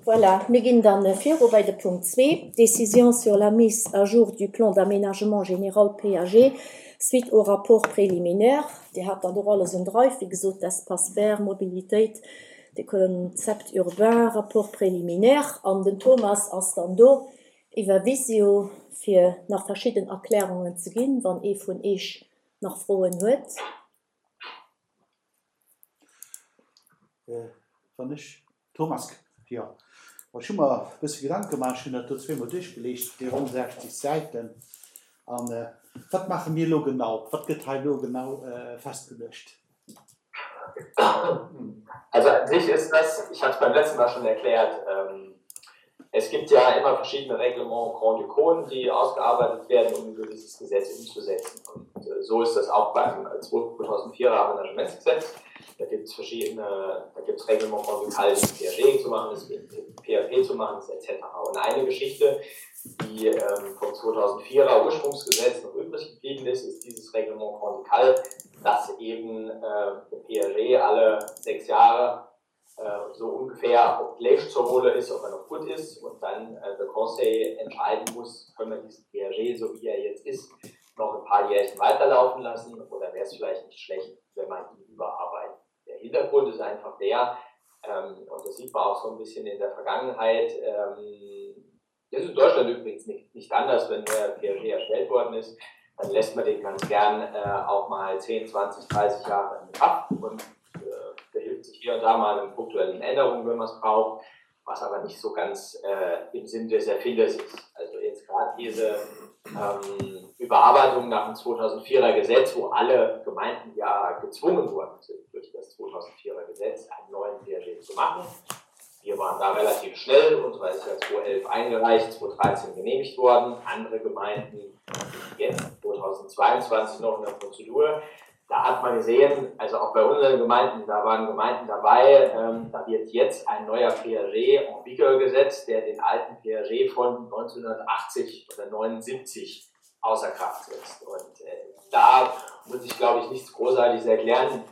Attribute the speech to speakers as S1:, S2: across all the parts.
S1: Voilà, mir ginn dann viru bei de Punkt zwee, Décision sur la mise à jour du plan d'aménagement général, PAG, suite au rapport préliminaire. Dir hat dat och alles um Drive, wéi gesot, d'Espaces verts, Mobilitéit, de Concept urbain, Rapport préliminaire. An den Thomas ass dann do iwwer Visio, fir nach verschidden Erklärungen ze ginn, wann ee vun Eech nach Froen huet.
S2: Wann ech, Thomas, jo, ech hu mer e bësse Gedanke gemaach, ech hunn dat do zweemol duerchgeliicht, déi ronn 60 Säiten. A wat maache mir elo genau? Wat gëtt hei elo genau festgeluecht?
S3: Also an sich ist das, ich habe es beim letzten Mal schon erklärt, es gibt ja immer verschiedene Reglements Grand-Ducaux, die ausgearbeitet werden, um ein gewisses Gesetz umzusetzen. Und so ist das auch beim 2004er Amenagementsgesetz. Da gibt es verschiedene, da gibt es Reglements Grand-Ducales, die PAG zu machen ist, PAP zu machen ist, etc. Und eine Geschichte, die ähm, vom 2004er Ursprungsgesetz noch übrig geblieben ist, ist dieses Reglement Grand-Ducal, dass eben äh, der PAG alle sechs Jahre äh, so ungefähr, ob Fleisch zur Rolle ist, ob er noch gut ist und dann äh, der Conseil entscheiden muss, können wir diesen PAG, so wie er jetzt ist, noch ein paar Jährchen weiterlaufen lassen oder wäre es vielleicht nicht schlecht, wenn man ihn überarbeitet. Der Hintergrund ist einfach der, ähm, und das sieht man auch so ein bisschen in der Vergangenheit, ähm, das ist in Deutschland übrigens nicht, nicht anders, wenn der PAG erstellt worden ist, dann lässt man den ganz gern äh, auch mal 10, 20, 30 Jahre in Kraft und äh, behilft sich hier und da mal in punktuellen Änderungen, wenn man es braucht, was aber nicht so ganz äh, im Sinn des Erfinders ist. Also jetzt gerade diese ähm, Überarbeitung nach dem 2004er Gesetz, wo alle Gemeinden ja gezwungen worden sind, durch das 2004er Gesetz einen neuen PRG zu machen. Wir waren da relativ schnell, unsere ist ja 2011 eingereicht, 2013 genehmigt worden. Andere Gemeinden sind jetzt 2022 noch in der Prozedur. Da hat man gesehen, also auch bei unseren Gemeinden, da waren Gemeinden dabei, ähm, da wird jetzt ein neuer PAG en vigueur gesetzt, der den alten PAG von 1980 oder 79 außer Kraft setzt. Und äh, da muss ich, glaube ich, nichts Großartiges erklären.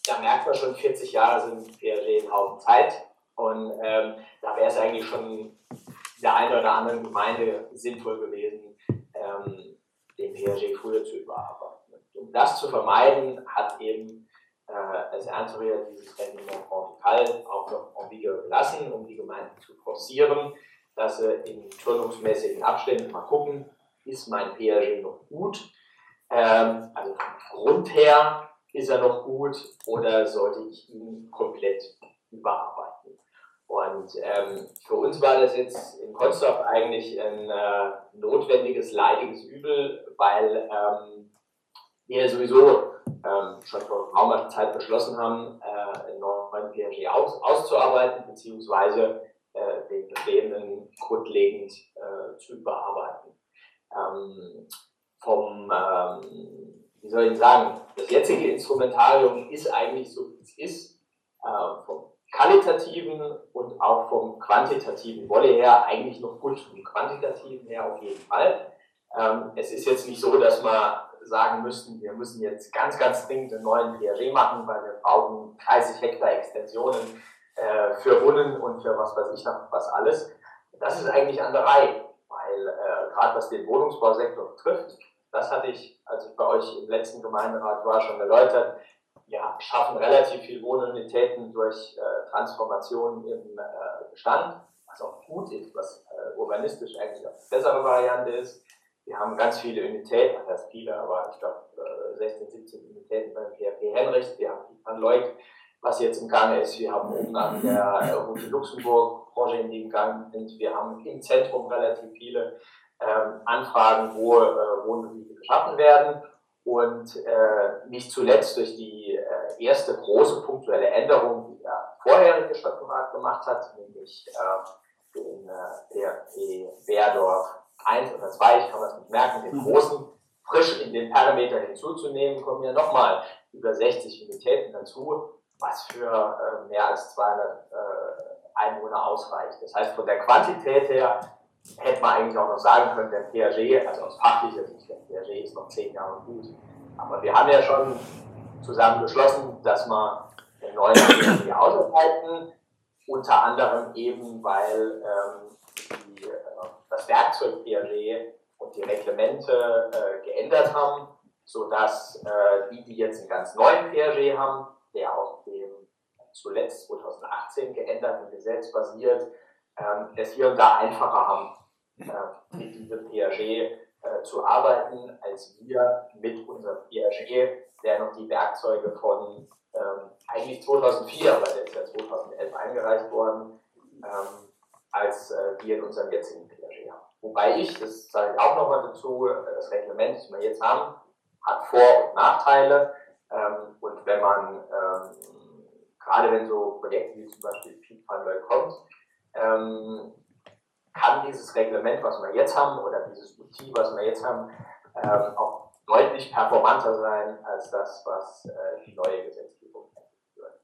S3: Da merkt man schon, 40 Jahre sind PAG ein Haufen Zeit. Und ähm, da wäre es eigentlich schon der einen oder anderen Gemeinde sinnvoll gewesen, ähm, den PAG früher zu überarbeiten. Und um das zu vermeiden, hat eben äh, es Ernteria dieses Reglement Grand-Ducal auch noch en vigueur gelassen, um die Gemeinden zu forcieren, dass sie in turnungsmäßigen Abständen mal gucken, ist mein PAG noch gut? Ähm, also vom Grund her ist er noch gut oder sollte ich ihn komplett überarbeiten? Und ähm, für uns war das jetzt in Konstorf eigentlich ein äh, notwendiges, leidiges Übel, weil ähm, wir sowieso ähm, schon vor geraumer Zeit beschlossen haben, äh, einen neuen PNG aus, auszuarbeiten, beziehungsweise äh, den bestehenden grundlegend äh, zu überarbeiten. Ähm, vom, ähm, wie soll ich sagen, das jetzige Instrumentarium ist eigentlich so, wie es ist, äh, vom qualitativen und auch vom quantitativen Wolle her eigentlich noch gut, vom quantitativen her auf jeden Fall. Ähm, es ist jetzt nicht so, dass wir sagen müssten, wir müssen jetzt ganz, ganz dringend einen neuen PRG machen, weil wir brauchen 30 Hektar Extensionen äh, für Wunnen und für was weiß ich noch was alles. Das ist eigentlich an der Reihe, weil äh, gerade was den Wohnungsbausektor betrifft, das hatte ich, als ich bei euch im letzten Gemeinderat war, schon erläutert. Wir schaffen relativ viel Wohnunitäten durch äh, Transformation im äh, Bestand, was auch gut ist, was äh, urbanistisch eigentlich auch die bessere Variante ist. Wir haben ganz viele Unitäten, das heißt viele, aber ich glaube 16, 17 Unitäten beim PHP Henrichs. Wir haben die Van Leuk, was jetzt im Gange ist. Wir haben oben an der Route Luxemburg Branche, in dem Gang sind. Wir haben im Zentrum relativ viele ähm, Anfragen, wo äh, Wohngebiete geschaffen werden. Und äh, nicht zuletzt durch die äh, erste große punktuelle Änderung, die der vorherige Stadtrat gemacht hat, nämlich äh, den äh, PRP Werdorf 1 oder 2, ich kann das nicht merken, den mhm. großen frisch in den Parameter hinzuzunehmen, kommen ja nochmal über 60 Unitäten dazu, was für äh, mehr als 200 äh, Einwohner ausreicht. Das heißt, von der Quantität her hätte man eigentlich auch noch sagen können, der PAG, also aus fachlicher Sicht, der PAG ist noch zehn Jahre gut. Aber wir haben ja schon zusammen beschlossen, dass wir den neuen PAG ausarbeiten. Unter anderem eben, weil ähm, die, äh, das Werkzeug PAG und die Reglemente äh, geändert haben, sodass äh, die, die jetzt einen ganz neuen PAG haben, der auf dem zuletzt 2018 geänderten Gesetz basiert, ähm, es hier und da einfacher haben, äh, mit diesem PAG äh, zu arbeiten, als wir mit unserem PAG, der noch die Werkzeuge von ähm, eigentlich 2004, aber der ist ja 2011 eingereicht worden, ähm, als äh, wir in unserem jetzigen PAG haben. Wobei ich, das sage ich auch nochmal dazu, äh, das Reglement, das wir jetzt haben, hat Vor- und Nachteile. Ähm, und wenn man, ähm, gerade wenn so Projekte wie zum Beispiel Piet van kommt, ähm, kann dieses Reglement, was wir jetzt haben, oder dieses Outil, was wir jetzt haben, ähm, auch deutlich performanter sein als das, was äh, die neue Gesetzgebung würde.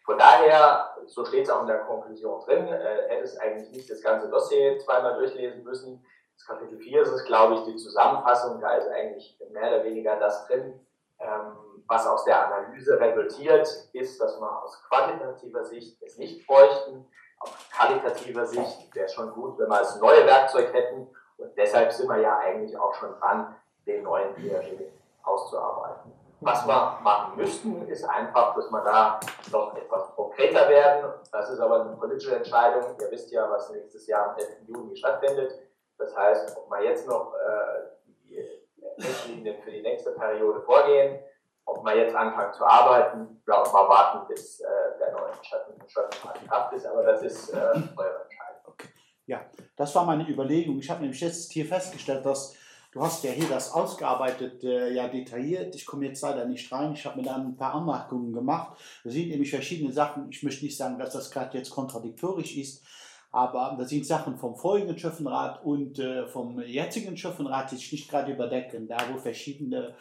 S3: Von daher, so steht es auch in der Konklusion drin, äh, hätte es eigentlich nicht das ganze Dossier zweimal durchlesen müssen. Das Kapitel 4 ist es, glaube ich, die Zusammenfassung, da ist eigentlich mehr oder weniger das drin, ähm, was aus der Analyse resultiert, ist, dass wir aus quantitativer Sicht es nicht bräuchten. Aus qualitativer Sicht wäre es schon gut, wenn wir das neue Werkzeug hätten. Und deshalb sind wir ja eigentlich auch schon dran, den neuen PAG auszuarbeiten. Was wir machen müssten, ist einfach, dass wir da noch etwas konkreter werden. Das ist aber eine politische Entscheidung. Ihr wisst ja, was nächstes Jahr am 11. Juni stattfindet. Das heißt, ob wir jetzt noch äh, die Richtlinien für die nächste Periode vorgehen, ob wir jetzt anfangen zu arbeiten oder ob wir warten, bis äh, der neue Schatten in Kraft ist. Aber das ist äh, eure Entscheidung.
S2: Okay. Ja, das war meine Überlegung. Ich habe nämlich jetzt hier festgestellt, dass du hast ja hier das ausgearbeitet, äh, ja detailliert. Ich komme jetzt leider nicht rein. Ich habe mir da ein paar Anmerkungen gemacht. Da sind nämlich verschiedene Sachen. Ich möchte nicht sagen, dass das gerade jetzt kontradiktorisch ist, aber da sind Sachen vom vorigen Schöffenrat und äh, vom jetzigen Schöffenrat, die sich nicht gerade überdecken, da wo verschiedene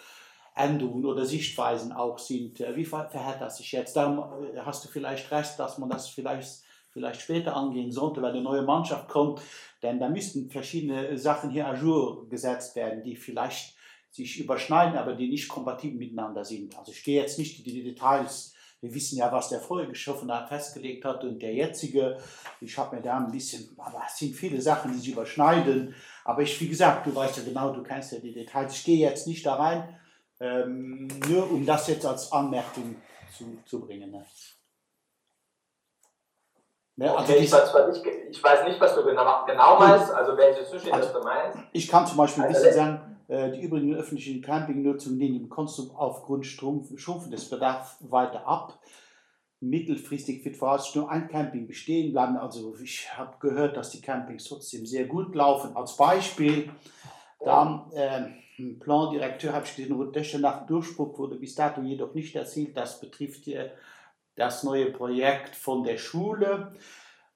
S2: Änderungen oder Sichtweisen auch sind. Äh, wie verhält das sich jetzt? Darum äh, hast du vielleicht recht, dass man das vielleicht vielleicht später angehen sollte, weil eine neue Mannschaft kommt, denn da müssten verschiedene Sachen hier à jour gesetzt werden, die vielleicht sich überschneiden, aber die nicht kompatibel miteinander sind. Also ich gehe jetzt nicht in die Details. Wir wissen ja, was der vorige Schöffenrat festgelegt hat und der jetzige. Ich habe mir da ein bisschen, aber es sind viele Sachen, die sich überschneiden. Aber ich, wie gesagt, du weißt ja genau, du kennst ja die Details. Ich gehe jetzt nicht da rein, ähm, nur um das jetzt als Anmerkung zu, zu bringen. Ne?
S3: Ne, also okay, ich, weiß nicht, ich weiß nicht, was du genau, genau meinst, also welche Zustände
S2: also,
S3: du meinst.
S2: Ich kann zum Beispiel ein bisschen sagen, äh, die übrigen öffentlichen Campingnutzung nehmen im Konsum aufgrund schrumpfendes Bedarf weiter ab. Mittelfristig wird voraussichtlich nur ein Camping bestehen bleiben. Also ich habe gehört, dass die Campings trotzdem sehr gut laufen. Als Beispiel, dann äh, Plan directeur habe ich gesehen, Rundesche nach Durchbruch wurde bis dato jedoch nicht erzielt. Das betrifft hier das neue Projekt von der Schule.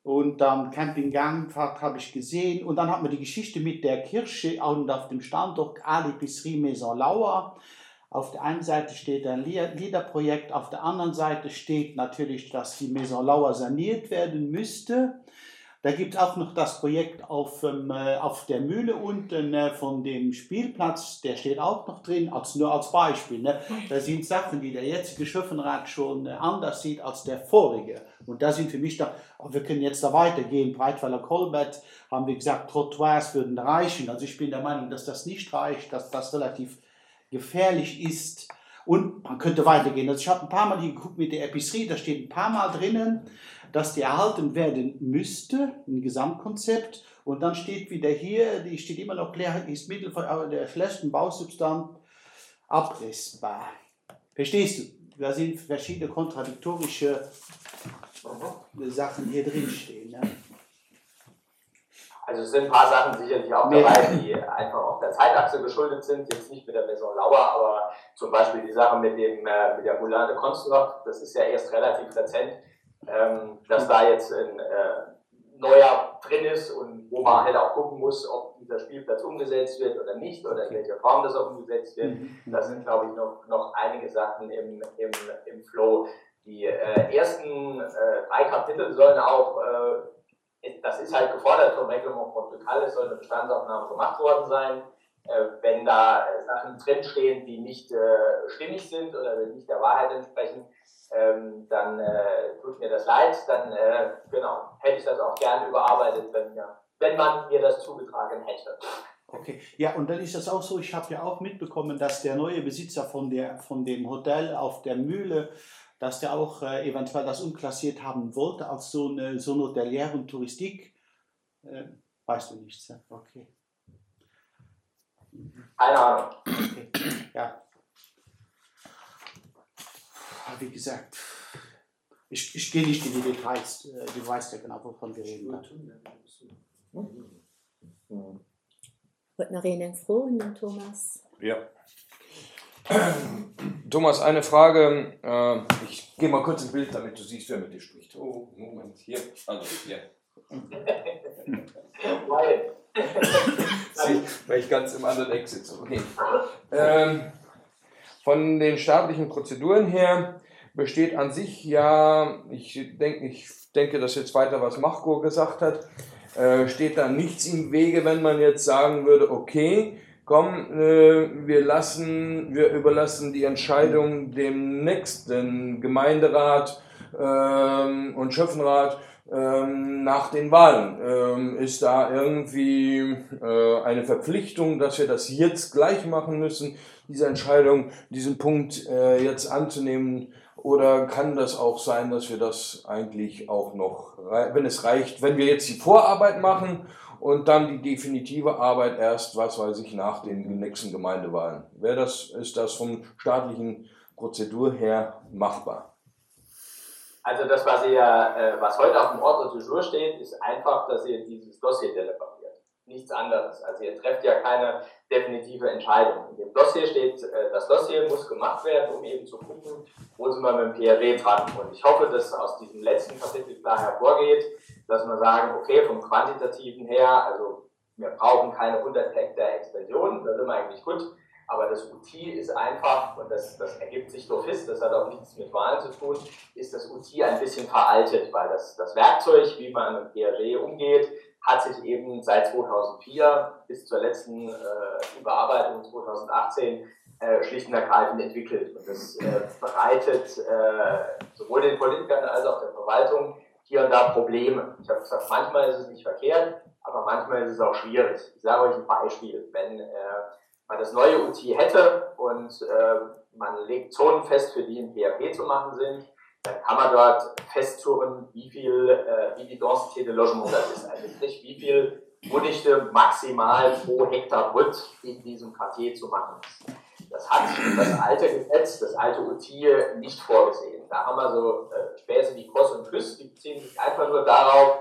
S2: Und dann Camping Gangfahrt habe ich gesehen. Und dann hat man die Geschichte mit der Kirche und auf dem Standort Alipisserie Maison Lauer. Auf der einen Seite steht ein Liederprojekt, auf der anderen Seite steht natürlich, dass die Maison Lauer saniert werden müsste. Da gibt es auch noch das Projekt auf, ähm, äh, auf der Mühle unten äh, von dem Spielplatz, der steht auch noch drin, als, nur als Beispiel. Ne? Da sind Sachen, die der jetzige Schöffenrat schon äh, anders sieht als der vorige. Und da sind für mich da, oh, wir können jetzt da weitergehen, Breitweiler Kolbett, haben wir gesagt, Trottoirs würden reichen. Also ich bin der Meinung, dass das nicht reicht, dass das relativ gefährlich ist. Und man könnte weitergehen. Also ich habe ein paar Mal hier geguckt mit der Epicerie, da steht ein paar Mal drinnen, dass die erhalten werden müsste, ein Gesamtkonzept. Und dann steht wieder hier, die steht immer noch leer, ist Mittel der schlechten Bausubstanz abrissbar. Verstehst du? Da sind verschiedene kontradiktorische Sachen hier drin stehen. Ne?
S3: Also es sind ein paar Sachen sicherlich auch dabei, die einfach auch der Zeitachse geschuldet sind, jetzt nicht mit der Maison Lauer, aber zum Beispiel die Sache mit dem äh, mit der Moulin de Konstantin, das ist ja erst relativ rezent, ähm, dass da jetzt ein äh, neuer drin ist und wo man halt auch gucken muss, ob dieser Spielplatz umgesetzt wird oder nicht oder in welcher Form das auch umgesetzt wird. Mhm. Da sind, glaube ich, noch, noch einige Sachen im, im, im Flow. Die äh, ersten äh, drei Kapitel sollen auch äh, das ist halt gefordert vom Reglement Portugal, es soll eine Bestandsaufnahme gemacht worden sein. Äh, wenn da Sachen drinstehen, die nicht äh, stimmig sind oder nicht der Wahrheit entsprechen, Ähm, dann äh, tut mir das leid, dann äh, genau, hätte ich das auch gern überarbeitet, wenn, mir, wenn man mir das zugetragen hätte.
S2: Okay, ja, und dann ist das auch so, ich habe ja auch mitbekommen, dass der neue Besitzer von, der, von dem Hotel auf der Mühle, dass der auch äh, eventuell das umklassiert haben wollte als so eine, so eine Hotelière und Touristik. Äh, weißt du nichts, ja? Okay.
S3: Keine Ahnung.
S2: Okay. Ja. Wie gesagt, ich, ich gehe nicht in die Details. Äh, du weißt ja genau, wovon wir reden.
S1: Hm. Huet nach een eng Fro un den Thomas?
S4: Ja. Thomas, eine Frage. Äh, ich gehe mal kurz im Bild, damit du siehst, wer mit dir spricht. Oh, Moment, hier. Also, hier. Weil ich ganz im anderen Eck sitze. Okay. Ähm, von den staatlichen Prozeduren her besteht an sich ja, ich denke, ich denke, dass jetzt weiter was Machko gesagt hat, äh, steht da nichts im Wege, wenn man jetzt sagen würde, okay, komm, äh, wir lassen, wir überlassen die Entscheidung dem nächsten Gemeinderat ähm, und Schöffenrat ähm, nach den Wahlen. Ähm, ist da irgendwie äh, eine Verpflichtung, dass wir das jetzt gleich machen müssen, diese Entscheidung, diesen Punkt äh, jetzt anzunehmen? Oder kann das auch sein, dass wir das eigentlich auch noch, wenn es reicht, wenn wir jetzt die Vorarbeit machen und dann die definitive Arbeit erst, was weiß ich, nach den nächsten Gemeindewahlen? Wäre das, ist das vom staatlichen Prozedur her machbar?
S3: Also das, was ihr, äh, was heute auf dem Ordre du jour steht, ist einfach, dass ihr dieses Dossier deliberiert. Nichts anderes. Also ihr trefft ja keine definitive Entscheidung. In dem Dossier steht, äh, das Dossier muss gemacht werden, um eben zu gucken, wo sind wir mit dem PRW dran. Und ich hoffe, dass aus diesem letzten Kapitel klar hervorgeht, dass wir sagen, okay, vom Quantitativen her, also wir brauchen keine 100 Hektar Expansion, da sind wir eigentlich gut. Aber das UT ist einfach, und das, das ergibt sich durch das hat auch nichts mit Wahlen zu tun, ist das UT ein bisschen veraltet, weil das, das Werkzeug, wie man mit PRG umgeht, hat sich eben seit 2004 bis zur letzten äh, Überarbeitung 2018 äh, schlicht und ergreifend entwickelt. Und das äh, bereitet äh, sowohl den Politikern als auch der Verwaltung hier und da Probleme. Ich habe gesagt, manchmal ist es nicht verkehrt, aber manchmal ist es auch schwierig. Ich sage euch ein Beispiel. Wenn äh, man das neue UT hätte und äh, man legt Zonen fest, für die ein PHP zu machen sind, dann kann man dort festzurren, wie viel, äh, wie die Densité de Logement das ist. Also sprich, wie viel Wohndichte maximal pro Hektar Brut in diesem Quartier zu machen ist. Das hat das alte Gesetz, das alte UT nicht vorgesehen. Da haben wir so äh, Späße wie Cross und Küss, die beziehen sich einfach nur darauf,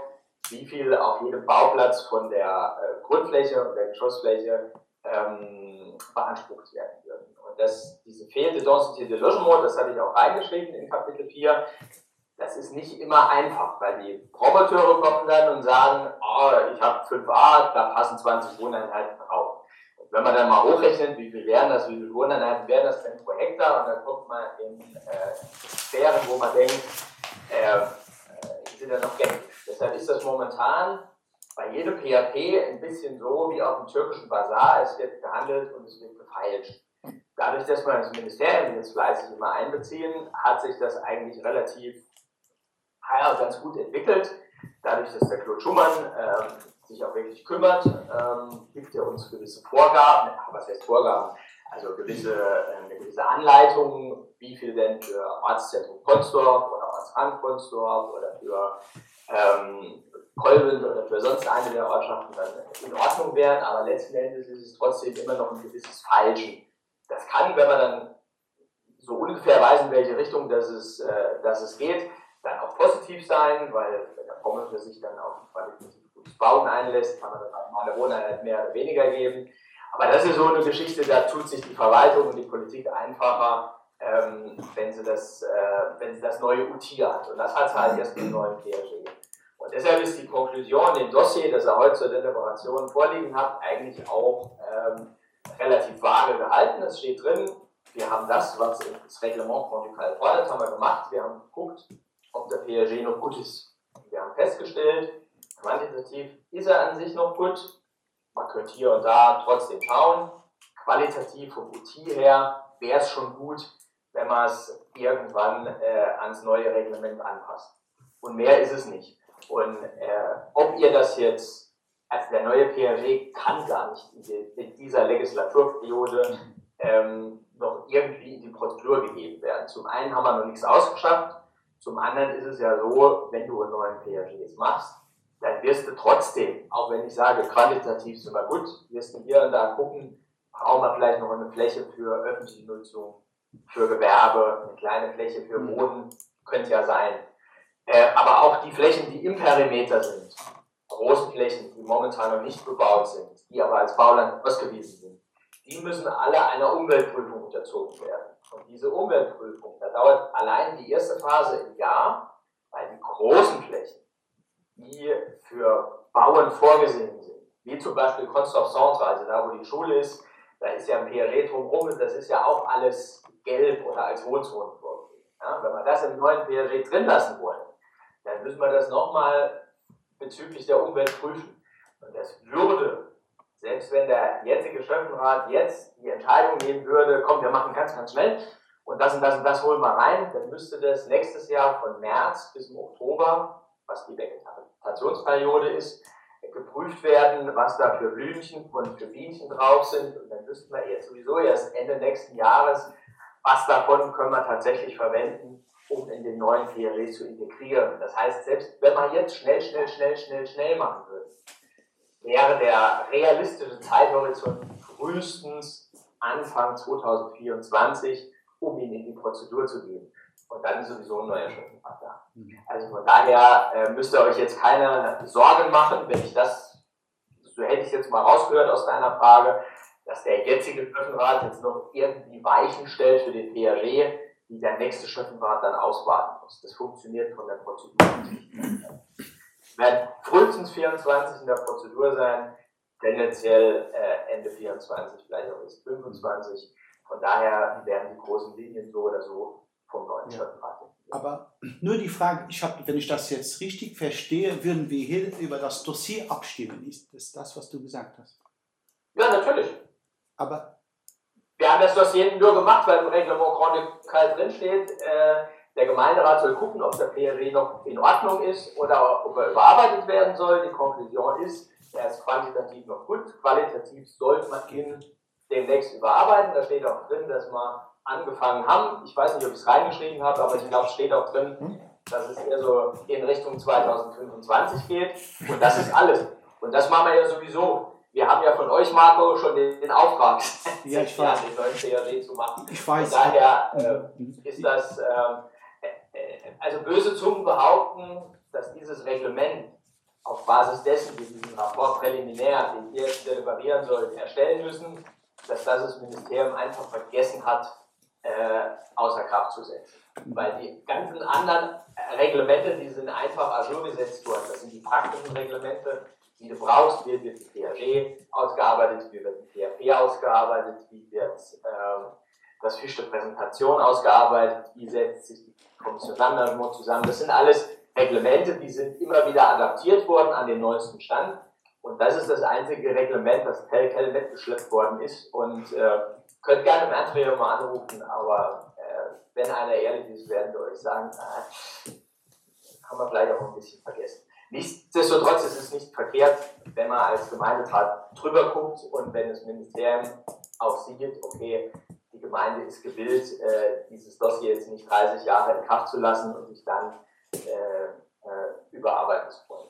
S3: wie viel auf jedem Bauplatz von der äh, Grundfläche und der Geschossfläche ähm, beansprucht werden würden. Und das, diese fehlende Densité de Logement, das hatte ich auch reingeschrieben in Kapitel 4, das ist nicht immer einfach, weil die Promoteure kommen dann und sagen, oh, ich habe 5a, da passen 20 Wohneinheiten drauf. Und wenn man dann mal hochrechnet, wie viel wären das, wie viele Wohneinheiten wären das denn pro Hektar, und dann kommt man in äh, Sphären, wo man denkt, äh, äh sind ja noch gängig. Deshalb ist das momentan bei jedem PHP ein bisschen so wie auf dem türkischen Basar, es wird gehandelt und es wird gefeilscht. Dadurch, dass wir das Ministerium jetzt fleißig immer einbeziehen, hat sich das eigentlich relativ ja, ganz gut entwickelt. Dadurch, dass der Claude Schumann ähm, sich auch wirklich kümmert, ähm, gibt er uns gewisse Vorgaben, was heißt Vorgaben? Also gewisse, äh, eine gewisse Anleitung, wie viel denn für Ortszentrum Consdorf oder Ortsrand Consdorf oder für ähm, Kolben oder für sonst eine der Ortschaften dann in Ordnung wären, aber letzten Endes ist es trotzdem immer noch ein gewisses Falschen. Das kann, wenn man dann so ungefähr weiß, in welche Richtung dass es, äh, dass es geht, dann auch positiv sein, weil wenn der Promotor sich dann auf ein qualitativ gutes Bauen einlässt, kann man dann auch mal eine Wohneinheit mehr oder weniger geben. Aber das ist so eine Geschichte, da tut sich die Verwaltung und die Politik einfacher, ähm, wenn, sie das, äh, wenn sie das neue UT hat. Und das hat sie halt erst mit dem neuen PSG. Und deshalb ist die Konklusion im Dossier, das er heute zur Deliberation vorliegen hat, eigentlich auch ähm, relativ vage gehalten. Es steht drin, wir haben das, was das Reglement Grand-Ducal fordert, haben wir gemacht. Wir haben geguckt, ob der PSG noch gut ist. Wir haben festgestellt, quantitativ ist er an sich noch gut. Man könnte hier und da trotzdem schauen. Qualitativ vom UT her wäre es schon gut, wenn man es irgendwann äh, ans neue Reglement anpassen. Und mehr ist es nicht. Und äh, ob ihr das jetzt, also der neue PRG kann gar nicht in, die, in dieser Legislaturperiode ähm, noch irgendwie in die Prozedur gegeben werden. Zum einen haben wir noch nichts ausgeschafft, zum anderen ist es ja so, wenn du einen neuen PRG jetzt machst, dann wirst du trotzdem, auch wenn ich sage, qualitativ sind wir gut, wirst du hier und da gucken, brauchen wir vielleicht noch eine Fläche für öffentliche Nutzung, für Gewerbe, eine kleine Fläche für mhm. Wohnen, könnte ja sein. Äh, aber auch die Flächen, die im Perimeter sind, große Flächen, die momentan noch nicht bebaut sind, die aber als Bauland ausgewiesen sind, die müssen alle einer Umweltprüfung unterzogen werden. Und diese Umweltprüfung, da dauert allein die erste Phase im Jahr, weil die großen Flächen, die für Bauen vorgesehen sind, wie zum Beispiel Konstorf Centre, also da, wo die Schule ist, da ist ja ein PRG drumherum, das ist ja auch alles gelb oder als Wohnzone vorgesehen. Ja, wenn wir das im neuen PRG drin lassen wollen, dann müssen wir das nochmal bezüglich der Umwelt prüfen. Und das würde, selbst wenn der jetzige Schöffenrat jetzt die Entscheidung nehmen würde, komm, wir machen ganz, ganz schnell und das und das und das holen wir rein, dann müsste das nächstes Jahr von März bis im Oktober, was die Vegetationsperiode ist, geprüft werden, was da für Blümchen und für Bienchen drauf sind. Und dann wüssten wir jetzt sowieso erst Ende nächsten Jahres, was davon können wir tatsächlich verwenden, um in den neuen PRE zu integrieren. Das heißt, selbst wenn man jetzt schnell, schnell, schnell, schnell, schnell machen würde, wäre der realistische Zeithorizont frühestens Anfang 2024, um ihn in die Prozedur zu geben. Und dann ist sowieso ein neuer Schöffenrat da. Mhm. Also von daher äh, müsst ihr euch jetzt keine Sorgen machen, wenn ich das, so hätte ich es jetzt mal rausgehört aus deiner Frage, dass der jetzige Schöffenrat jetzt noch irgendwie Weichen stellt für den PRG, die der nächste Schöffenrat dann auswarten muss. Das funktioniert von der Prozedur nicht. Wird frühestens 24 in der Prozedur sein, tendenziell äh, Ende 24, vielleicht auch erst 25. Von daher werden die großen Linien so oder so vom neuen ja. Schöffenrat.
S2: Aber nur die Frage, ich hab, wenn ich das jetzt richtig verstehe, würden wir hier über das Dossier abstimmen. Ist das das, was du gesagt hast?
S3: Ja, natürlich.
S2: Aber
S3: wir haben das Dossier nur gemacht, weil im Reglement Grand Ducal drinsteht, äh, der Gemeinderat soll gucken, ob der PRW noch in Ordnung ist oder ob er überarbeitet werden soll. Die Konklusion ist, er ist quantitativ noch gut, qualitativ sollte man ihn demnächst überarbeiten. Da steht auch drin, dass wir angefangen haben. Ich weiß nicht, ob ich es reingeschrieben habe, aber ich glaube, es steht auch drin, hm? dass es eher so in Richtung 2025 geht. Und das ist alles. Und das machen wir ja sowieso. Wir haben ja von euch, Marco, schon den, den Auftrag,
S2: ja, ich weiß.
S3: den neuen CRD zu machen.
S2: Ich weiß.
S3: Von daher äh, mhm. ist das, ähm, äh, also böse Zungen behaupten, dass dieses Reglement auf Basis dessen, wir diesen Rapport präliminär, den wir jetzt deliberieren sollen, erstellen müssen, dass das das Ministerium einfach vergessen hat, äh, außer Kraft zu setzen. Weil die ganzen anderen Reglemente, die sind einfach à jour gesetzt worden. Das sind die praktischen Reglemente, die du brauchst. Wie wird die PAG ausgearbeitet, wie wird die PAP ausgearbeitet, wie wird ähm, das Fisch der Präsentation ausgearbeitet, wie setzt sich die Kommission Landmanagement zusammen. Das sind alles Reglemente, die sind immer wieder adaptiert worden an den neuesten Stand. Und das ist das einzige Reglement, das tel quel mitgeschleppt worden ist. Und äh, könnt gerne im Ernstfall mal anrufen, aber äh, wenn einer ehrlich ist, werden wir euch sagen, äh, haben wir vielleicht auch ein bisschen vergessen. Nichtsdestotrotz ist es nicht verkehrt, wenn man als Gemeinderat drüber guckt und wenn das Ministerium auch sieht, okay, die Gemeinde ist gewillt, äh, dieses Dossier jetzt nicht 30 Jahre in Kraft zu lassen und sich dann äh, äh, überarbeiten zu wollen.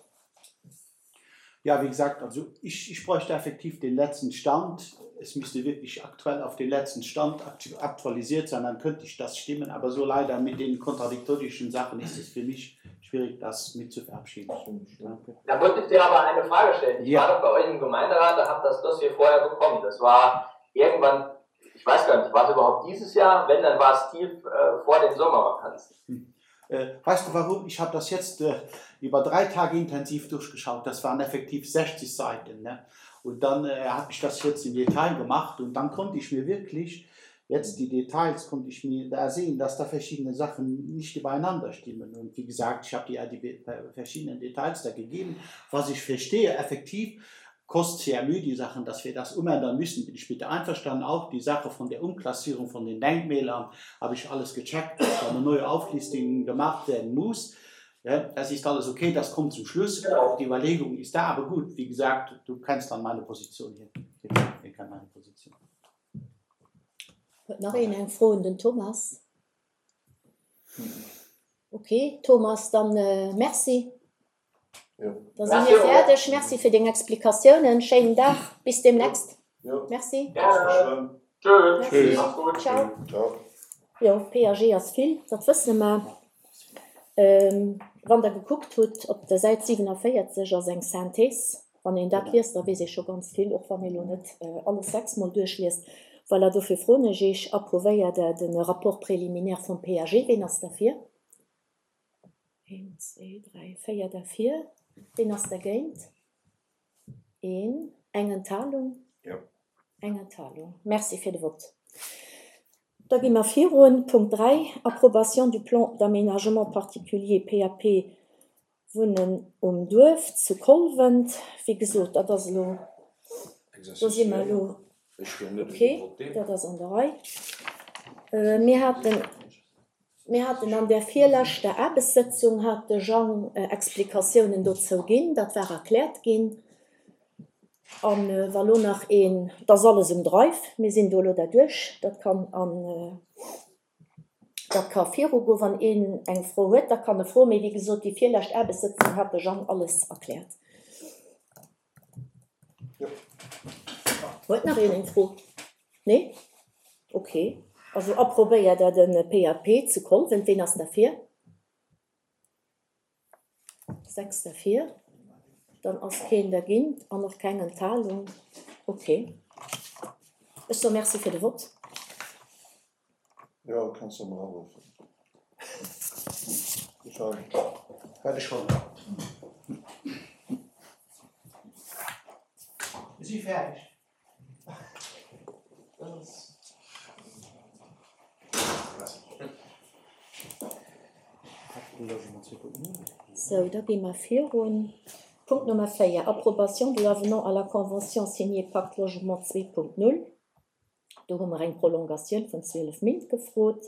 S2: Ja, wie gesagt, also ich, ich bräuchte effektiv den letzten Stand. Es müsste wirklich aktuell auf den letzten Stand aktualisiert sein, dann könnte ich das stimmen. Aber so leider mit den kontradiktorischen Sachen ist es für mich schwierig, das mit zu verabschieden.
S3: Danke. Da wollte ich dir aber eine Frage stellen. Ich
S2: Ja.
S3: war doch bei euch im Gemeinderat, da habt das Dossier vorher bekommen. Das war irgendwann, ich weiß gar nicht, war es überhaupt dieses Jahr? Wenn, dann war es tief äh, vor den Sommervakanzen.
S2: Hm. Äh, weißt du warum? Ich habe das jetzt äh, über drei Tage intensiv durchgeschaut. Das waren effektiv 60 Seiten. Ne? Und dann äh, habe ich das jetzt im Detail gemacht und dann konnte ich mir wirklich jetzt die Details konnte ich mir da sehen, dass da verschiedene Sachen nicht übereinander stimmen. Und wie gesagt, ich habe dir ja die verschiedenen Details da gegeben, was ich verstehe effektiv. Kost CMU, die Sachen, dass wir das umändern müssen, bin ich mit einverstanden. Auch die Sache von der Umklassierung von den Denkmälern habe ich alles gecheckt, dass da eine neue Auflistung gemacht werden muss. Ja, das ist alles okay, das kommt zum Schluss. Auch die Überlegung ist da, aber gut, wie gesagt, du kennst dann meine Position hier. Ich kenn meine Position.
S1: Huet nach een eng Fro un den Thomas? Okay, Thomas, dann merci. Da si mir fäerdeg. Merci fir deng Explikatiounen. Schéinen Dag, bis deemnächst. Merci.
S3: Tschüss.
S1: Ciao. Jo, PAG ass vill, dat wësse mer. Wann Der gekuckt hutt, op der Säit 47 ass eng Synthèse. Wann een dat liest, da weess ee scho ganz vill, och wann ee lo net alles sechsmol duerchliest. Voilà, dofir froen ech Iech, Approuvéiert Der de Rapport préliminaire vum PAG? Ween ass derfir? Een, zwee, dräi, véier derfir. Ween ass dergéint? Een. Eng Enthalung?
S5: Jo.
S1: Eng Enthalung. Merci fir de Vott. Da gi mer virun. Punkt 3, Approbation du plan d'aménagement particulier, PAP, Wunnen um Duerf zu Kolwent. Wéi gesot, dat ass elo, do si mer elo, ok, dat ass an der Rei. Mir haten, mir haten an där virleschter Aarbechtssëtzung hat de Jang Explikatiounen dozou ginn, dat war erkläert ginn. A wa lo nach een, et ass alles um Drive, mir sinn do elo derduerch, dat kann an Dat ka virugoen. Wann een eng Fro huet, da kann e froen. Mee wéi gesot, déi virlescht Aarbechtssëtzung hat de Jang alles erkläert. Huet nach een eng Fro? Nee? Ok. Also approbéiert Der de PAP zu Kolwent. Ween ass derfir? 6 derfir, dann ass keen dergéint an och keng Enthalung. Ok. Ech soe Merci fir de Vott.
S5: Jo, kanns de emol aruffen.
S2: Wat ech wollt. Mir si fäerdeg.
S1: Sou, da gi mer virun. Punkt Nummer 4, Approbation de l'avenant à la convention signée Pacte Logement 2.0. Do hu mer eng Prolongatioun vun 12 Méint gefrot.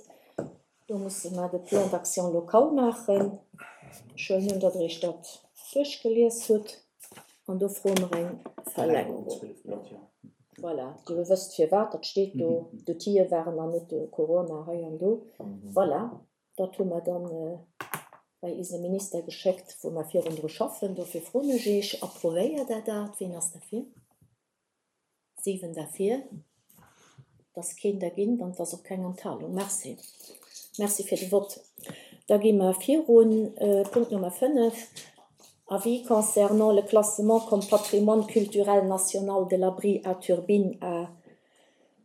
S1: Do musse mer de Plan d'action local maachen. Ech huelen un, datt Der Iech dat duerchgelies hutt. An do froe mer eng Verlängerung. Voilà, Dir wësst firwat, dat steet do. D'Outille waren nach net do, Corona hei an do. Voilà, dat hu mer dann bei eise Minister geschéckt, wou mer virun dru schaffen. Dofir froen ech Iech, Approvéiert Der dat? Wien ass derfir? 7 derfir, et ass keen dergéint an et ass och keng Enthalung. Merci. Merci fir de Vott. Da gi mer virun. Punkt Nummer 5, Avis concernant le classement comme patrimoine culturel national de l'abri à turbines à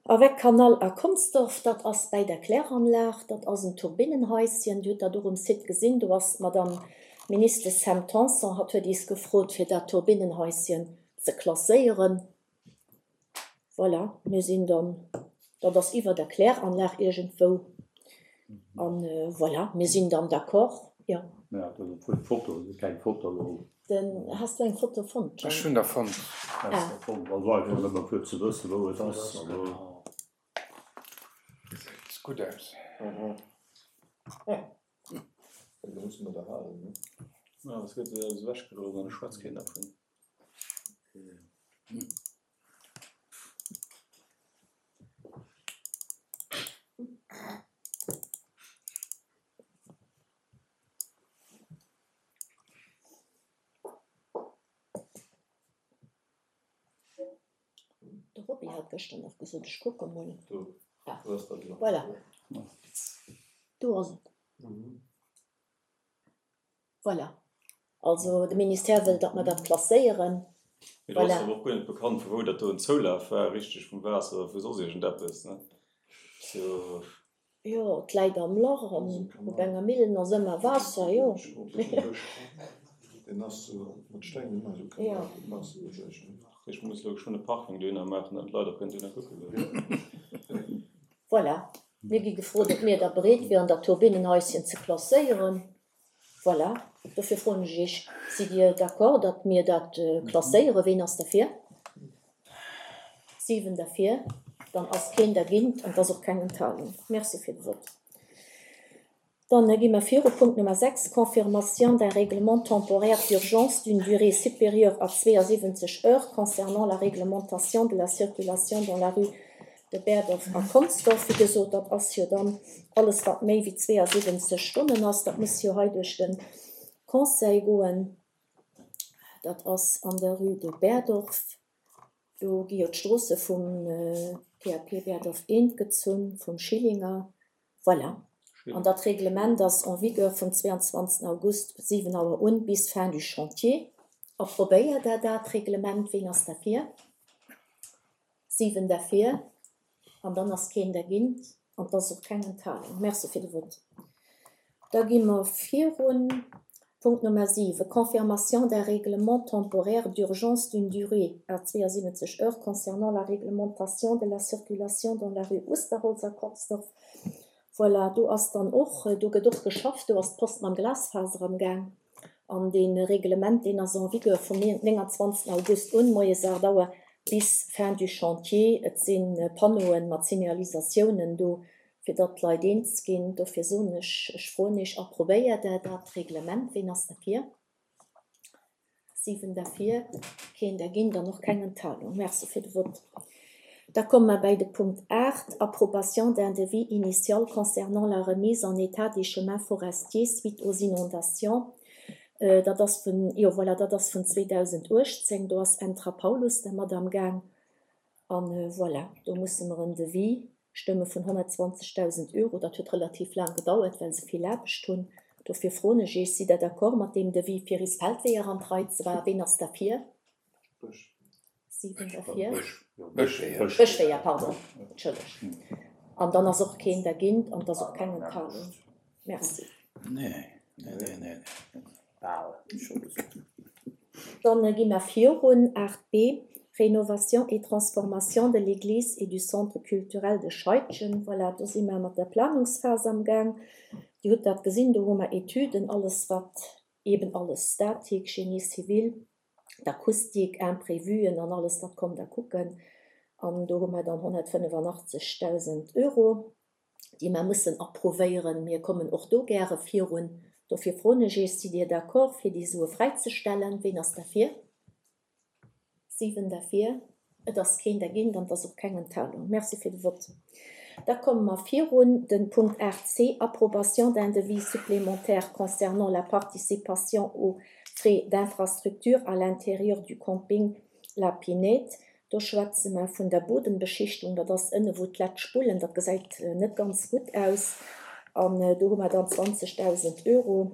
S1: avec canal à Consdorf. Dat ass bäi der Kläranlag. Dat ass en Turbinnenhaischen. Dir hutt dat och um Site gesinn. Do ass d'Madame Ministes Sam Tanson, hatt huet iis gefrot, fir dat Turbinnenhaischen ze klasséieren. Voilà, mir sinn dann, dat ass iwwer der Kläranlag iergendwou. An voilà, mir sinn dann d'accord, jo.
S6: Ja, dat ass obwuel d'Foto, et ass keng Foto elo.
S1: Den, has du eng Foto fonnt,
S5: Jean? Ech hunn der fonnt.
S6: Has der fonnt, also einfach nëmme fir ze wëssen, wou et ass. Also.
S5: Gesäit gutt aus.
S6: Ja, es gëtt alles ewechgeloss an et schwätzt keen dervun.
S1: De Roby hat gëschter nach gesot, ech kucke mol. Ah, voilà, do ass et. Voilà. Also de Ministère wëll, datt mer dat klasséieren.
S6: Mee do ass awer och guer net bekannt, vu wou dat do en Zoulaf war, richteg vum Waasser oder vu soss iergendeppes, ne? Sou.
S1: Jo, et läit am Lach an op enger Millen ass ëmmer Waasser, jo.
S6: Jo. Ech muss elo geschwënn e Parking dohinner maachen, datt d'Leit och kënnen dohinner kucke goen.
S1: Voilà, mir gi gefrot, ob mir da bereet wieren, dat Turbinnenhaischen ze klasséieren. Voilà, dofir froen ech Iech, Sidd Dir d'accord, datt mir dat klasséieren? Ween ass derfir? 7 derfir, dann ass keen dergint an et ass och keng Enthalung. Merci fir de Vott. Dann gi mer viru Punkt Nummer 6, Confirmation d'un règlement temporaire d'urgence d'une durée supérieure à 72 heures concernant la réglementation de la circulation dans la rue de Berdorf a Consdorf. Wéi gesot, dat ass jo dann alles, wat méi wéi 72 Stonnen ass. Dat muss jo hei duerch de Conseil goen. Dat ass an der Rue de Berdorf. Do gi jo d'Stroosse vum PAP Berdorf I gezunn, vum Schillinger. Voilà. An dat Reglement ass en vigueur vum 22 August, 7 Auer un, bis fin du chantier. Approbéiert Der dat Reglement? Ween ass derfir? 7 derfir. An dann ass keen dergint an et ass och keng Enthalung. Merci fir de Vott. Da gi mer virun. Punkt Nummer 7, Confirmation d'un règlement temporaire d'urgence d'une durée à 72 heures concernant la réglementation de la circulation dans la rue Usterholz a Consdorf. Voilà, do ass dann och, do gëtt och geschafft, do ass d'Post mam Glasfaser am Gaang. An dee Reglement, deen ass en vigueur vum 29 August un, moies 8 Auer bis fin du chantier. Et si Panneauen mat Signalisatiounen do, fir datt d'Leit eens ginn. Dofir soen ech, ech froen Iech, Approbéiert Der dat Reglement? Ween ass derfir? 7 derfir, keen dergéint an och keng Enthalung. Merci fir de Vott. Da komme mer bäi de Punkt 8, Approbation d'un devis initial concernant la remise en état des chemins forestiers suite aux inondations. Dat ass vun, jo voilà, dat ass vun 2018. Do ass Entra Paulus dermat amgaang. An voilà, do musse mer en Devis stëmme vun 120.000 Euro. Dat huet relativ laang gedauert, well se vill Aarbecht hunn. Dofir froen ech Iech, Sidd Der d'accord mat deem Devis, fir is Feldweeër an d'Rei ze maachen? Ween ass derfir? 7 derfir. Bëschweeër, pardon, entschëllegt. An dann ass och keen dergint an et ass och keng Enthalung. Merci. Dann gi mer virun. 8 b, Rénovation et transformation de l'église et du centre culturel de Scheidgen. Voilà, do si mer mat der Planungsphas amgaang. Dir hutt dat gesinn, do hu mer Etüden, alles wat eben alles Statik, Génie civil, d'Akustik, Imprévuen an alles, dat kommt Der kucken. An do hu mer dann 185.000 Euro. déi mer mussen approuvéieren. Mir kommen och do gäre virun. Dofir froen ech Iech, Sidd Dir d'accord, fir déi Sue fräizestellen? Ween ass derfir? 7 derfir. Et ass keen dergéint an et ass och keng Enthalung. Merci fir de Vott. Da komme mer virun. De Punkt 8 c, Approbation d'un devis supplémentaire concernant la participation aux frais d'infrastructure à l'intérieur du camping La Pinède. Do schwätze mer vun der Bodembeschichtung, dat ass ënne wou d'Lett spullen, dat gesäit net ganz gutt aus. An do hu mer dann 20.000 Euro,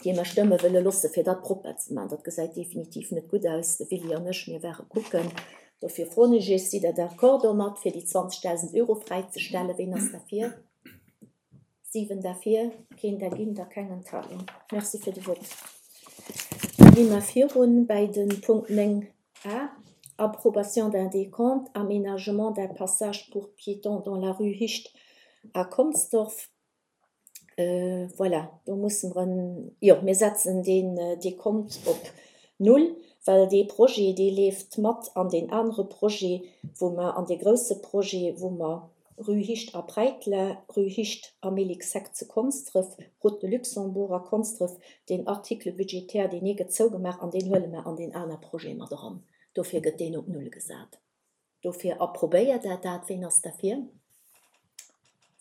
S1: déi mer stëmme wëlle loosse fir dat propper ze maachen. Dat gesäit definitiv net gutt aus. De Willy an ech, mir ware kucken. Dofir froen ech Iech, Sidd Der d'accord domat, fir déi 20.000 Euro fräizestellen? Ween ass derfir? 7 derfir, keen dergint a keng Enthalung. Merci fir de Vott. Da gi mer virun bäi de Punkt 9 a, Approbation d'un décompte, aménagement d'un passage pour piétons dans la rue Hicht à Consdorf. Voilà, do musse mer en, jo, mir setzen deen Décompte op null, well dee Projet, dee leeft mat an deen anere Projet, wou mer, an dee grouse Projet, wou mer Rue Hicht a Präitler, Rue Hicht a Mélixheck zu Konsdref, Route de Luxembourg a Konsdref, deen Article budgétaire, deen ee gëtt zougemaach an deen huele mer an deen aner Projet mat eran. Dofir gëtt deen op Null gesat. Dofir approbéiert Der dat. Ween ass derfir?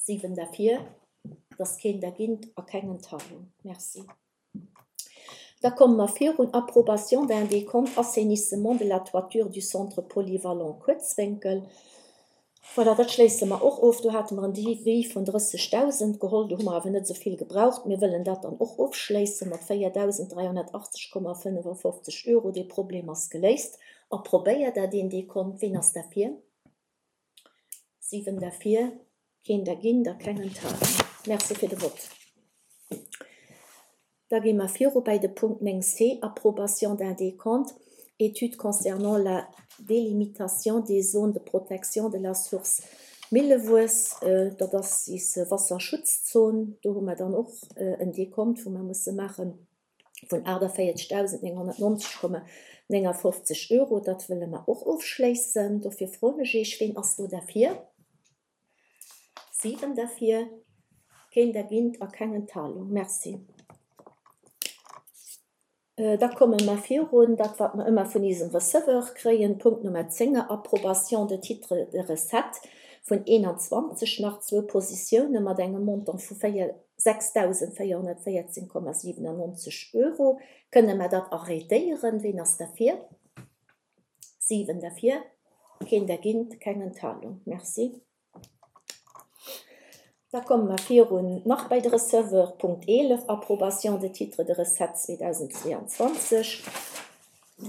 S1: 7 derfir, et ass keen dergint a keng Enthalung. Merci. Da komme mer virun, Approbation d'un décompte assainissement de la toiture du centre polyvalent Kuerzwénkel. Voilà, dat schléisse mer och of. Do hate mer en Devis vun 30.000 geholl, do hu mer awer net esou vill gebraucht. Mir wëllen dat dann och ofschléisse mat 4.380,55 Euro. Dee Problem ass geléist. Approbéiert Der deen Décompte? Ween ass derfir? 7 derfir, keen dergint a keng Enthalung. Merci fir de Vott. Da gi mer viru bäi de Punkt 9 c, Approbation d'un décompte, étude concernant la délimitation des zones de protection de la source. Millewuess, dat ass is Wasserschutzzon, do hu mer dann och en Dekont, wou mer musse maache vun 48.990,59 Euro. Dat wëlle mer och ofschléissen. Dofir froen ech Iech, Ween ass do derfir? 7 derfir, keen dergint a keng Enthalung. Merci. Da komme mer virun dat, wat mer ëmmer vun isem Receveur kréien, Punkt Nummer 10, Approbation de titres de recettes vun 21, nach zwou Positioune mat engem Montant vu 6.414,97 Euro. Kënne mer dat arrêtéieren? Ween ass derfir? 7 derfir, keen dergint, keng Enthalung. Merci. Da komme mer virun nach bei de Receveur, Punkt 11, Approbation de titres de recettes 2022.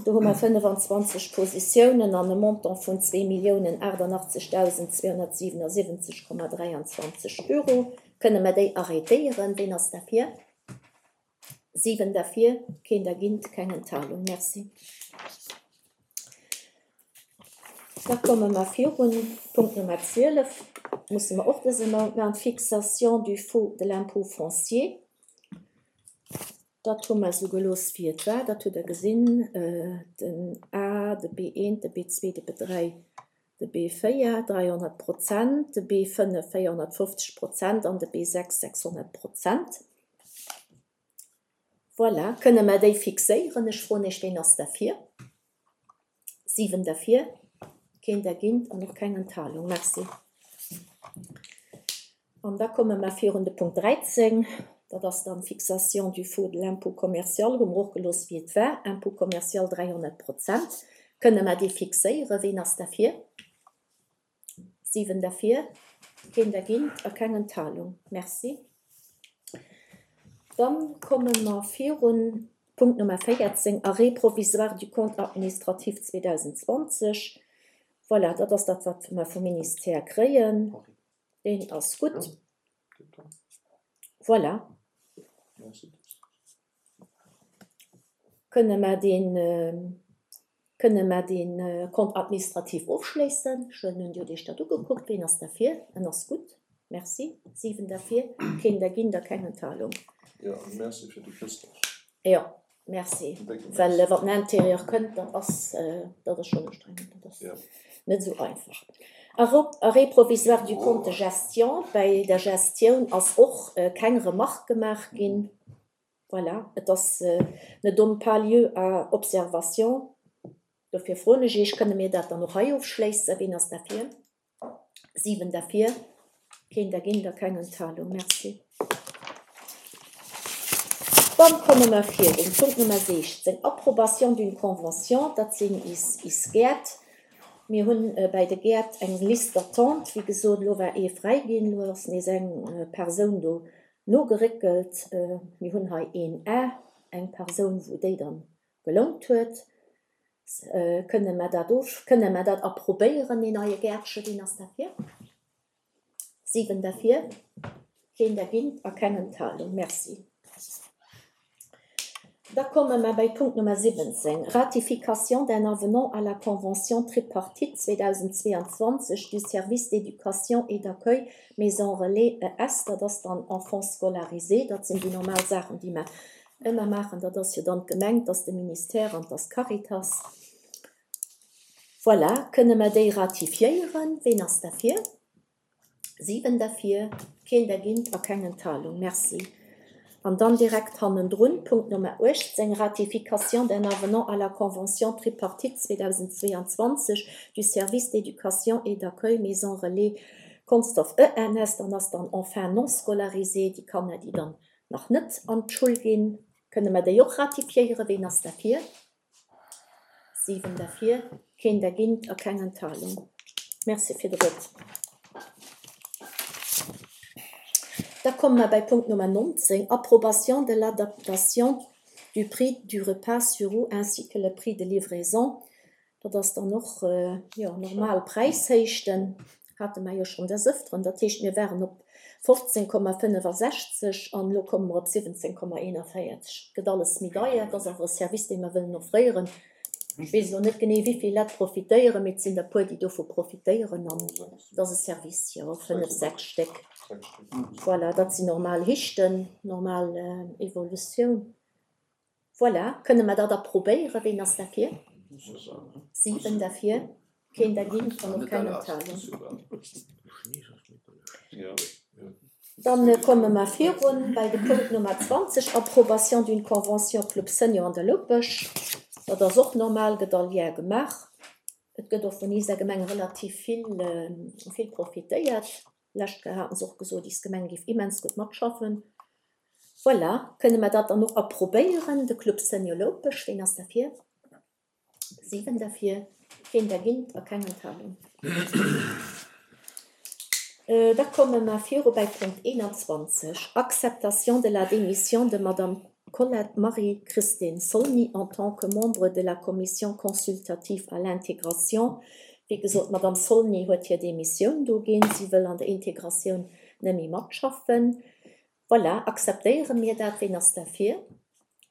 S1: Do hu mer 25 Positiounen an e Montant vun 2.088.277,23 Euro. Kënne mer déi arrêtéieren? Ween ass derfir? 7 derfir, keen dergint, keng Enthalung. Merci. Da komme mer virun. Punkt Nummer 12 musse mer och dëse Mount maachen, d'Fixation du faux de l'impôt foncier. Dat hu mer esou gelooss, wéi et war. Dat hutt Der gesinn, den A, de B1, de B2, de B3, de B4, 300 Prozent, de B5, 450 Prozent an de B6, 600 Prozent. Voilà, kënne mer déi fixéieren? Ech froen Iech, Ween ass derfir? 7 derfir, keen dergint an och keng Enthalung. Merci. An da komme mer virun de Punkt 13, dat ass dann d'Fixation du faux de l'impôt commercial, hu mer och gelooss wéi et war, Impôt commercial 300 Prozent. Kënne mer dee fixéieren? Ween ass derfir? 7 derfir, keen dergint a keng Enthalung. Merci. Dann komme mer virun Punkt Nummer 14, Arrêt provisoire du compte administratif 2020. Voilà, dat ass dat, wat mer vum Ministère kréien. Deen ass gutt. Voilà. Kënne mer deen, kënne mer dee Compte administratif ofschléissen? Ech huelen un, Dir hutt Iech dat ugekuckt. Ween ass derfir? En ass gutt. Merci. 7 derfir, keen dergint a keng Enthalung.
S6: Jo, a merci fir de Christophe.
S1: Jo, merci. Well wann den Intérieur kënnt, dat ass, dat ass schonn ustrengend. Dat ass net esou einfach. Arrêt provisoire du compte de gestion. Bäi der Gestioun ass och keng Remarque gemaach ginn. Voilà, et ass, ne donne pas lieu à observation. Dofir froen ech Iech, kënne mir dat dann och hei ofschléissen? Ween ass derfir? 7 derfir, keen dergéint a keng Enthalung. Merci. Dann komme mer virun. Punkt Nummer 16, Approbation d'une convention, dat sinn is, is Gäert. Mir hunn bäi de Gäert eng Liste d'attente. Wéi gesot, elo war ee fräi ginn, elo ass nees eng Persoun do Nogeréckelt, mir hunn hei een A, eng Persoun, wou déi dann gelount huet. Kënne mer dat of, kënne mer dat approbéieren, deen neie Gäertchen? Wien ass derfir? 7 derfir, keen dergint a keng Enthalung. Merci. Da komme mer bei Punkt Nummer 17, Ratification d'un avenant à la convention tripartite 2022 du service d'éducation et d'accueil Maison Relais ES. Dat ass dann Enfants scolarisés. Dat sinn déi normal Saachen, déi mer ëmmer maachen. Dat ass jo dann d'Gemeng, 't ass de Ministère an 't ass d'Caritas. Voilà, kënne mer déi ratifiéieren? Ween ass derfir? 7 derfir, keen dergint a keng Enthalung. Merci. An dann direkt hannendrun, Punkt Nummer 18, Ratification d'un avenant à la convention tripartite 2022 du service d'éducation et d'accueil Maison Relais Consdorf ENS. Dann ass dann Enfants non scolarisés, déi Kanner, déi dann nach net an d'Schull ginn. Kënne mer déi och ratifiéieren? Ween ass derfir? 7 derfir, keen dergint a keng Enthalung. Merci fir de Vott. Da komme mer bei Punkt Nummer 19, Approbation de l'adaptation du prix du repas sur roues ainsi que le prix de livraison. Dat ass dann och, jo, normal Präishéichten, hate mer jo schonn des Ëfteren. Dat heescht, mir waren op 15,65 an elo komme mer op 17,41. Et gëtt alles méi deier. Et ass awer e Service, dee mer wëllen offréieren. Ech weess elo net genee, wéi vill Lett profitéieren, mee et sinn der e puer, déi dovu profitéieren. An et ass e Service, jo, fënnef, sechs Stéck. Voilà, dat sinn normal Hichten, normal Evolutioun. Voilà, kënne mer dat approbéieren? Ween ass derfir? 7 derfir, keen dergéint an och keng Enthalung. Dann komme mer virun bei de Punkt Nummer 20, Approbation d'une convention Club Senior an der Loupech. Dat ass och normal, gëtt all Jar gemaach. Et gëtt och vun iser Gemeng relativ vill, vill profitéiert. Lescht Kéier haten se och gesot, is Gemeng géif immens gutt matschaffen. Voilà, kënne mer dat dann och approbéieren, de Club Senior Loupech. Ween ass derfir? 7 derfir, keen dergint a keng Enthalung. Da komme mer viru bäi Punkt 21, Acceptation de la démission de Madame Colette Marie-Christine Solny en tant que membre de la Commission consultative à l'intégration. Wéi gesot, d'Madame Solny huet hir Démissioun do ginn. Si wëll an der Integratioun net méi matschaffen. Voilà, akzeptéiere mir dat? Ween ass derfir?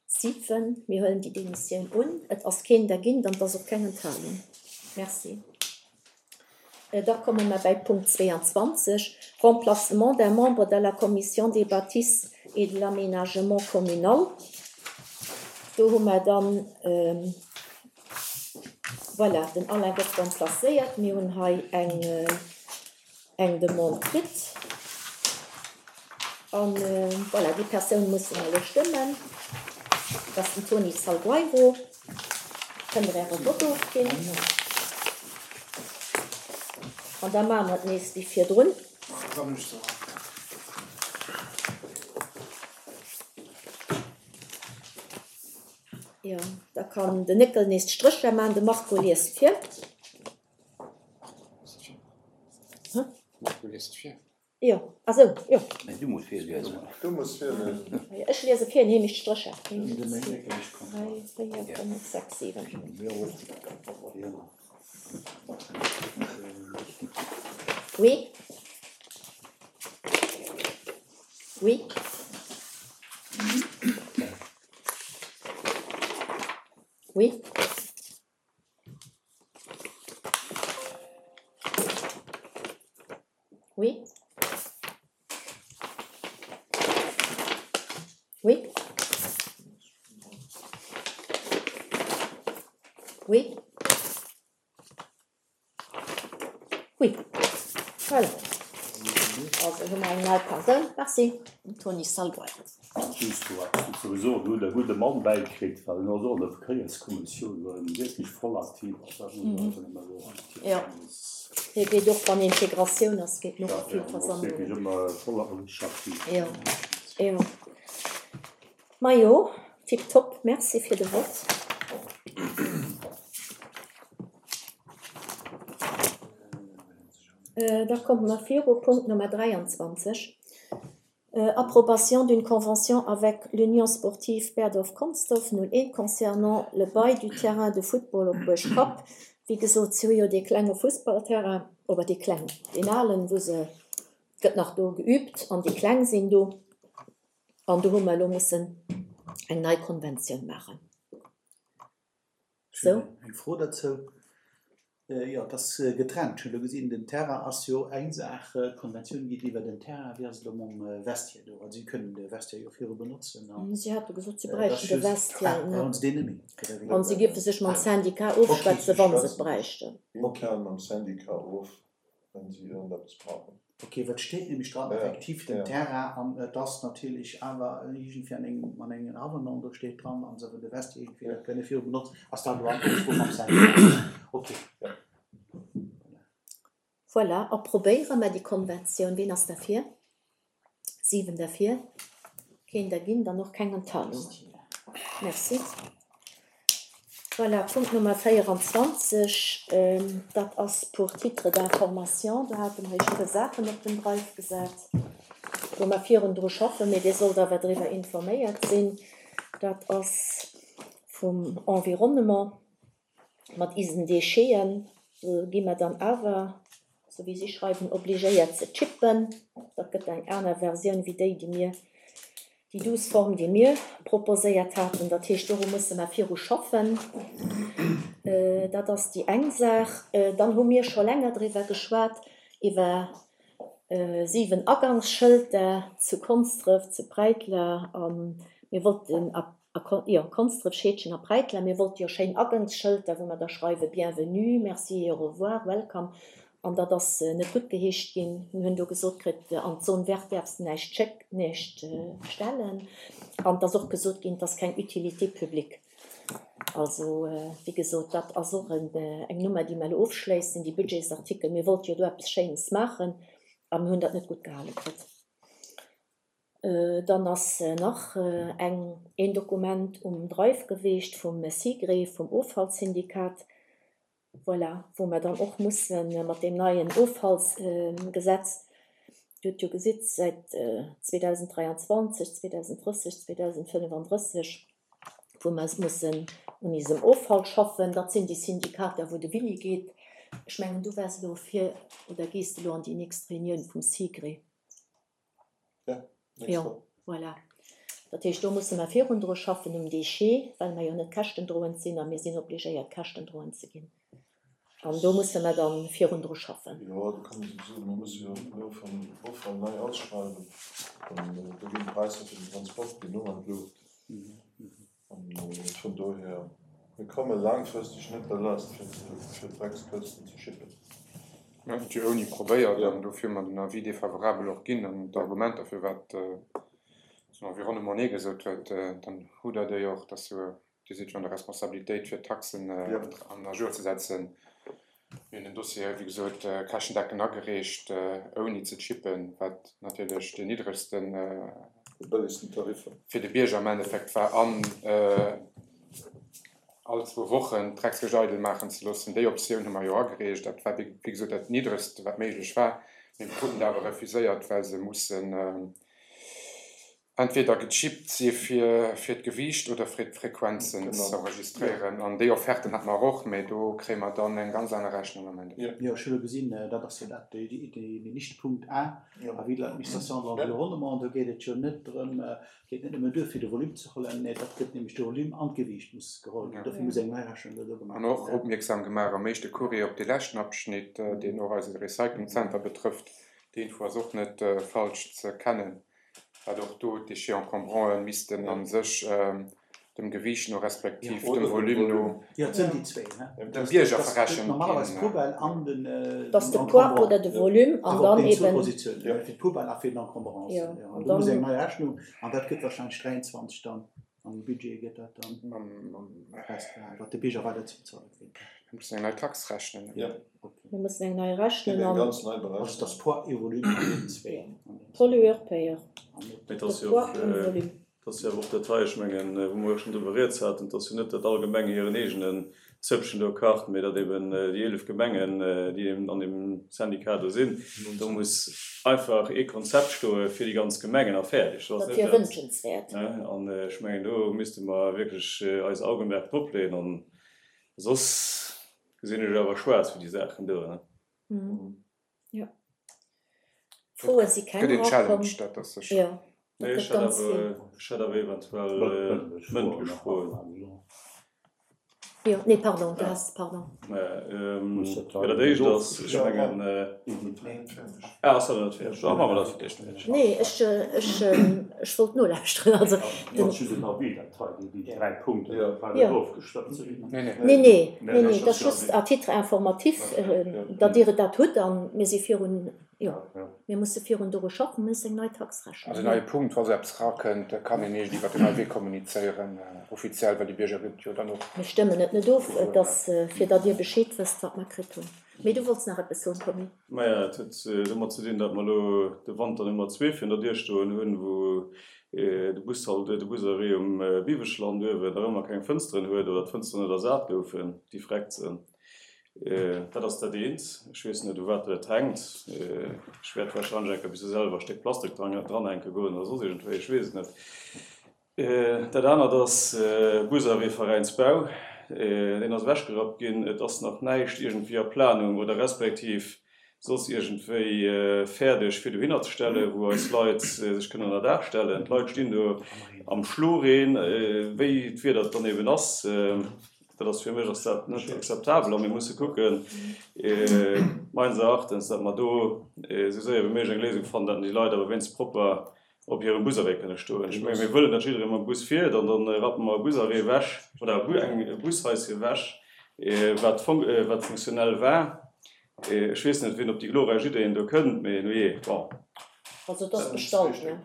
S1: 7, Mir huelen déi Demissioun un. Et ass keen dergint an et ass och keng Enthalung. Merci. Da komme mer bäi Punkt 22, Remplacement d'un membre de la Commission des bâtisses et de l'aménagement communal. Do hu mer dann, voilà, den Alain gëtt remplacéiert. Mir hunn hei eng. eng Demande kritt. An voilà, déi Persoun musse mer elo stëmmen. Dat ass den Tony Salgueiro. Kënnt Der Äre Vott ofginn. An da maache mer et nees wéi virdrun. Jo, da kann den Néckel nees d'Strécher maachen. De Marco liest vir.
S6: Marco liest vir.
S1: Jo, ah sou, jo.
S5: Nee, du muss virliesen.
S7: Du muss virliesen.
S1: Ech liese vir, hie mécht d'Strécher. 1, 2, 3, 4, 5, 6, 7. Oui. Oui. Oui. Oui. Oui. Oui. Oui. Voilà. Also hu mer eng nei Persoun. Merci, den Tony Salgueiro.
S5: Just do hat ech souwisou e gudde Mann bäikritt, well en ass och an der Verkéierskommissioun, wou en wierklech voll aktiv ass. Dat muss een einfach nëmme soen.
S1: Jo, hie geet och, wann Integratioun ass, geet en och op vill Versammlungen.
S5: Jo, wierklech ëmmer voll a richteg aktiv.
S1: Jo, jo. Majo, tiptop, merci fir de Vott. Da komme mer viru, Punkt Nummer 23. Approbation d'une convention avec l'Union sportive Berdorf-Consdorf 01 concernant le bail du terrain de football op Buerg Kapp. Wéi gesot, si hu jo dee klenge Fussballterrain, oder dee klengen, deen alen, wou se, gëtt nach do geübt an déi Kleng sinn do. An do hu mer elo mussen eng nei Konventioun maachen.
S2: Ech hunn eng Fro derzou. Jo, et ass getrennt. Ech hunn elo gesinn, den Terrain ass jo eng Saach, d'Konventioun geet iwwer den Terrain. Wéi ass et elo mam Vestiaire do? Also si kënnen de Vestiaire jo viru benotzen
S1: a. Si hate gesot, si bräichten de Vestiaire net.
S2: Brauchen se deen net méi?
S1: An si géife sech mam Syndicat ofschwätzen, wa se et bräichten.
S7: Intern mam Syndicat of. wenn si iergendeppes brauchen.
S2: Ok, well et steet nämlech dran, effektiv den Terrain, an et ass natierlech awer iergendwéi an engem, an engem Avenant do steet dran, an se wëll de Vestiaire iergendwéi net kënne viru benotzen. Ass dat elo an Ofsprooch mam Syndicat? Ok.
S1: Voilà, approbéiere mer déi Konventioun. Ween ass derfir? 7 derfir, keen dergint an och keng Enthalung. Merci. Voilà, Punkt Nummer 24, dat ass pour titre d'information. Do hate mer Iech e puer Saachen op den Drive gesat, wou mer virun dru schaffen, mee Dir sollt awer driwwer informéiert sinn. Dat ass vum Environnement. Mat isen Décheten, do gi mer dann awer, sou wéi si schreiwen, obligéiert ze chippen. Dat gëtt eng aner Versioun wéi déi, déi mir, déi douce Form, déi mir proposéiert haten. Dat heescht, doru musse mer viru schaffen. Dat ass déi eng Saach. Dann hu mir scho länger driwwer geschwat, iwwer 7 Agangsschëlter zu Konsdref, zu Präitler a mir wollten, a, jo, Konsdref, Scheedgen a Präitler, mir wollte jo schéin Agangsschëlter, wou mer da schreiwe Bienvenue, Merci et au revoir, Welcome. An dat ass net guttgeheescht ginn. Mir hunn do gesot kritt, an d'Zone verte däerfs de näischt schéck, näischt stellen. An et ass och gesot ginn, et ass keng Utilité publique. Also, wéi gesot, dat ass och eng Nummer, déi mer elo ofschléissen, déi Budgetsartikel. Mir wollte jo do eppes Schéines maachen a mir hunn dat net gutt gehale kritt. Dann ass nach eng, een Dokument um Drive geweecht vum SIGRE, vum Offallsyndikat. Voilà, wou mer dann och musse mat deem neien Offallsgesetz, Dir hutt jo gesitt, säit 2023, 2030, 2035, wou mer mussen un isem Offall schaffen. Dat sinn déi Syndikater, wou de Willy geet. Ech mengen, du waars elo fir oder gees elo an déi nächst Reunioun vum SIGRE. Jo, voilà. Dat heescht, do musse mer virun dru schaffen um Déchet, well mer jo net käschtendroend sinn a mir sinn obligéiert, käschtendroend ze ginn. An do musse mer da virun dru schaffen.
S7: Jo, do kann ee souwisou, mir musse jo den Offall nei ausschreiwen an do ginn d'Präisser fir den Transport ginn och an d'Luucht. An vun dohier, mir komme laangfristeg net derlaascht fir d'Dreckskësten ze schippen.
S4: Mir hunn et jo ouni probéiert an dofir hu mer den Avis défavorable och ginn an d'Argumenter firwat den Environnement Nee gesot huet, dann hutt Der déi och, dass jo Dir sidd jo an der Responsabilitéit fir d'Taxen an à jour ze setzen. Mir hunn den Dossier, wéi gesot, käschtendeckend agereecht, ouni ze chippen, wat natierlech deen niddregsten,
S7: De bëllegsten Tariffer.
S4: Fir de Bierger am Endeffekt war an all zwou Wochen d'Dreckskëscht eidel maachen ze loossen. Déi Optioun hu mer jo agereecht. Dat war, wéi gesot, dat Niddregst, wat méiglech war. Mee mir kruten et awer refuséiert, well se mussen entweder gechippt si fir fir d'Gewiicht oder fir d'Frequenzen ze enregistréieren. An déi Offerten hate mer och, mee do kréie mer dann eng ganz aner Rechnung am
S2: Endeffekt. Jo, ech hu elo gesinn, dat ass jo dat, déi nicht Punkt A, Avis de l'administration de l'environnement, do geet et jo net drëm, geet net nëmmen duer fir de Volume ze huelen, nee dat gëtt nämlech de Volume an d'Gewiicht muss geholl ginn, dofir muss eng nei Rechnung do gemaach
S4: ginn. An och opmierksam gemaach am éischte Courrier op dee leschten Abschnitt, deen och eise Recyclingzenter betrëfft, déi Info ass och net falsch ze kennen. wat och do d'Déchets encombranten missten a sech dem Gewiicht no respektiv dem Volume no dem Bierger verrechent
S1: ginn. Dass de Poids oder de Volume an dann eben.
S4: Mir mussen eng nei Tax rechnen.
S1: Mir mussen eng nei rechnen an. Pollueur-payeur.
S6: Mee et ass jo och, et ass jo awer och dat hei, ech mengen, wou mer jo schonn driwwer rieds haten, et ass jo net, datt all Gemeng hiren eegenen Zëppchen do kacht, mee datt eben déi 11 Gemengen, déi eben an deem Syndicat do sinn, do muss einfach ee Konzept stoe fir déi ganz Gemengen a fäerdeg.
S1: Dat wier wënschenswäert.
S6: An ech mengen, do misste mer wierklech eis Augenmerk drop leeën an soss Gesinn ech awer schwaarz fir déi Saachen do, ne?
S1: Jo. Froe si keng
S4: Gëtt een
S1: erakomm.
S4: Challenge, dat ass sécher.
S1: Jo, dat
S6: Nee,
S1: gëtt
S6: ech hätt
S1: ganz
S6: awer,
S1: vill.
S6: ech hätt awer eventuell mëndlech Froen.
S1: Jo, nee, pardon, du has, pardon.
S6: Jo, dat éischt ass, ech mengen, ah, ass dat nach net fäerdeg? Da maache mer dat fir d'éischt fäerdeg.
S1: Nee, ech, ech, ech wollt nolauschteren. Also, den. Nee, nee, nee, nee, dat ass just à titre informatif, datt Dir et dat hutt. A mir si virun, jo, mir musse virun doru schaffen, mir mussen eng nei Tax rechnen.
S4: Also en neie Punkt, wa sou eppes erakënnt, da kann een eréischt iwwert den neie Wee kommunizéieren, offiziell, well déi Bierger gëtt jo dann och.
S1: Mir stëmmen et net of, et ass fir datt Dir Bescheed wësst, wat mer kritt hunn. Mee du wollts nach eppes soen, Tommy.
S6: Maja, et huet domat ze dinn, datt mer elo de Wanter Nummer zwee virun der Dier stoen hunn, wou de Bushalt, de Busarrêt um Biweschland uewen nach ëmmer keng Fënsteren huet oder d'Fënsteren net ersat goufen, déi vreckt sinn. Dat ass dat eent. Ech weess net, u wat dat hänkt. Ech wäert warscheinlech eng Kéier bis selwer e Stéck Plastik dranhänke goen oder soss iergendwéi, ech weess et net. Dat anert ass Busarrêt Veräinsbau. Deen ass ewechgerappt ginn. Et ass nach näischt iergendwéi a Planung oder respektiv soss iergendwéi fäerdeg fir dohinner ze stellen, wou eis Leit sech kënnen ënner Daach stellen. D'Leit stinn do am Schloreen, wéi d'Wieder et dann eben ass. Dat ass fir mech ass dat net akzeptabel a mir musse kucken, meines Erachtens, datt mer do esou séier wéi méiglech eng Léisung fannen, datt déi Leit awer wéinst propper op hirem Busarrêt kënne stoen. Ech menge mir wëllen, datt jidderee mam Bus fiert an da rappe mer e Busarrêt ewech oder eng Bushaische ewech, wat wat funktionell war. Ech weess net, wien op déi glorreich Ideen do kënnt, mee nujee, bon.
S1: Also et ass bestallt, ne?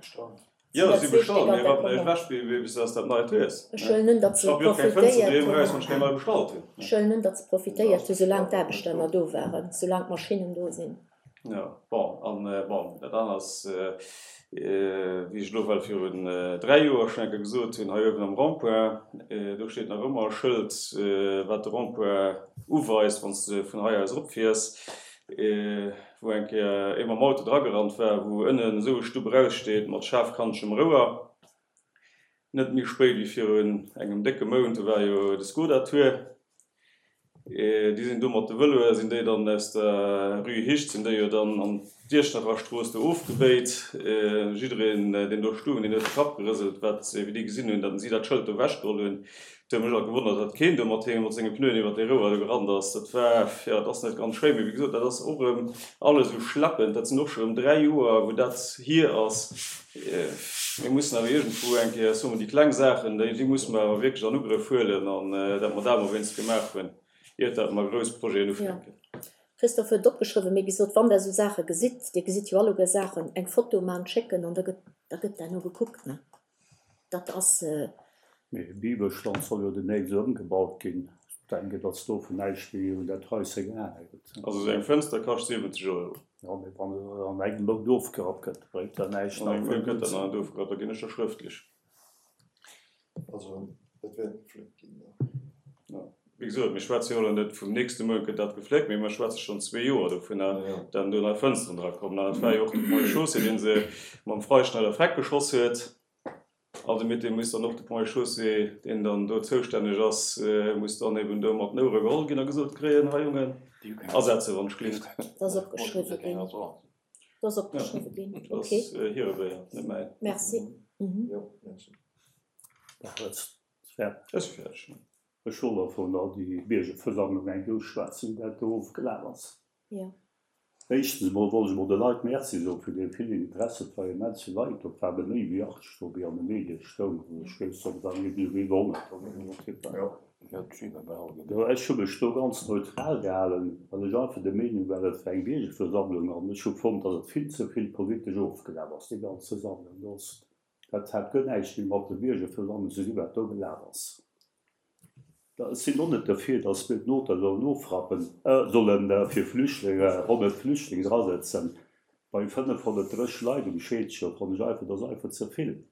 S6: Jo, si bestallt, mee rappen eréischt ewech, bis dass dat Neit hues.
S1: Ech huelen un, datt se profitéiert hunn. Ech rappe jo och keng Fënster doheem eraus, wann ech keng nei bestallt hunn. Ech huelen un, datt se profitéiert hunn, soulaang d'Aarbechter nach do waren, soulaang d'Maschinnen do sinn.
S6: Jo, bon, an bon, dat anert ass, wéi ech elo well virun 3 Joer schonn eng Kéier gesot hunn, hei uewen am Rond-point, do steet nach ëmmer e Schëld, wat de Rond-point uweist, wann s de vun hei aus eropfiers. Wou eng Kéier ee mam Auto dragerannt war, wou ënnen esou e Stupp eraussteet mat schaarfkantegem Rouer. Net méi spéit wéi virun engem décke Mount, do war jo de Skoda Tour. Déi sinn do mat de Vëloe sinn déi dann aus der Rue Hicht sinn déi jo dann an d'Iechternacher Strooss do ofgebéit. Jiddereen, deen do stoung, deen huet de Kapp gerëselt, wat, wéi déi gesinn hunn, datt si dat Schëld do ewechgeholl hunn. Et huet mech alt gewonnert, datt keen do mat him, mat senge Pneuen iwwer dee Rouer do gerannt ass. Dat war, jo, et ass net ganz schéin, mee wéi gesot, dat ass och erëm alles esou schleppend. Dat sinn och scho erëm 3 Joer, wou dat hier ass. Mir mussen awer iergendwou eng Kéier, soe mer, déi kleng Saachen, déi, déi musse mer awer wierklech an Ugrëff huelen an dat mer dat emol wéinst gemaach hunn, iert dat mer grouss Projeten ufänken.
S1: Christophe huet et opgeschriwwen, mee gesot, wann Der esou Saache gesitt, Dir gesitt jo alleguer Saachen, eng Foto man, schécken an da gëtt, da gëtt derno gekuckt, ne? Dat ass.
S5: Mee Bibelstand soll jo demnächst ëmgebaut ginn. Ech denken, datt dovun näischt méi un dat Haische gehaange gëtt.
S6: Also esou eng Fënster kascht 70 Euro.
S5: Jo, mee wann se an engem Mount ofgerappt gëtt, bréngt dat näischt.
S6: An engem Mount gëtt dat nach net ofgerappt, da ginn ech der schrëftlech.
S7: Also dat wäert gefléckt ginn, jo.
S6: Jo, wéi gesot, mir schwätze jo elo net vum nächste Mount gëtt dat gefléckt, mee mir schwätze schonn zwee Joer dovunner, datt do nei Fënsteren dra kommen. An et war jo och de Pont et Chaussée, dee se mam Freischneider freck geschoss huet. Also mit deem muss dann och de Pont et Chaussée, deen dann do zoustänneg ass, muss dann eben do mat den Ouere geholl ginn a gesot kréien, Hei Jongen, asetze wann ech gleeft.
S1: Dat ass opgeschriwwe ginn. Dat ass opgeschriwwe ginn.
S6: Dat ass hire Béier, net mäin.
S1: Merci.
S7: Jo, merci.
S6: Ech si fäerdeg.
S5: Ech wollt och vun der déi Biergerversammlung eng Douce schwätzen, wéi dat do ofgelaf ass. Éischtens emol wollt ech emol de Leit Merci soen fir dee villen Interesse. Et war immens vill Leit do, et ware méi wéi 80 do, wéi an de Medie stoung. Ech weess net, et waren iergendwéi iwwer 100 oder esou Typen. Jo, ech hu mech do ganz neutral gehalen, well ech einfach der Meenung war, et war eng Biergerversammlung an ech hu fonnt, datt et vill ze vill politesch ofgelaf ass, déi ganz Versammlung. Dat hat guer näischt méi mat de Biergerversammlung ze dinn, wat do gelaf ass. Ech sinn och net derfir, datt mir d'Noter sollen ofrappen, solle fir Flüchtlinge, 100 Flüchtlinge drasëtzen. Bei 530 Leit um Scheedgen fannen ech einfach, dat ass einfach ze vill.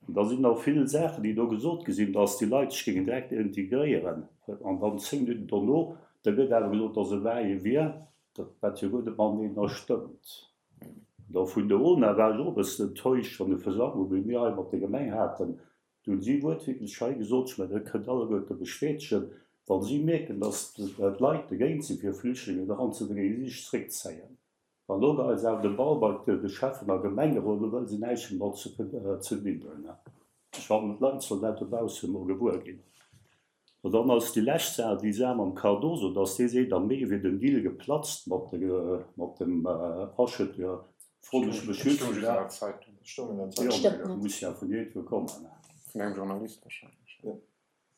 S5: An da sinn nach vill Saachen, déi do gesot gi sinn, datt déi Leit sech géingen direkt integréieren. An dann 10 Minutten dono, da gëtt awer gesot, datt e Va-et-vient, dat wat jo guer net mateneener stëmmt. Da vun der UNA war ech och e bëssen enttäuscht an der Versammlung, wéi mir hei mat der Gemeng haten. Do hunn si wuertwiertlech hei gesot, ech mengen, dat kënnt alleguerte bestätegen, wa si mierken, datt d'Leit dogéint sinn, fir Flüchtlingen eranzebréngen, si sech zréckzéien. An elo geheit se awer de Ball bei de Schäffen a Gemengerot, elo wëlle se näischt méi mat ze dinn hunn. Ech fannen, d'Leit sollen dat dobausse mol gewuer ginn. An dann ass déi lescht Saach déi Saach mam Cardoso, dass dee seet, am Mee wier den Deal geplatzt mat mat dem Acheteur. Froen ech mech just,
S8: Stoung an der Zeitung.
S5: Jo, muss ja vun iergendwou kommen.
S8: Vun engem Journalist wahrscheinlech.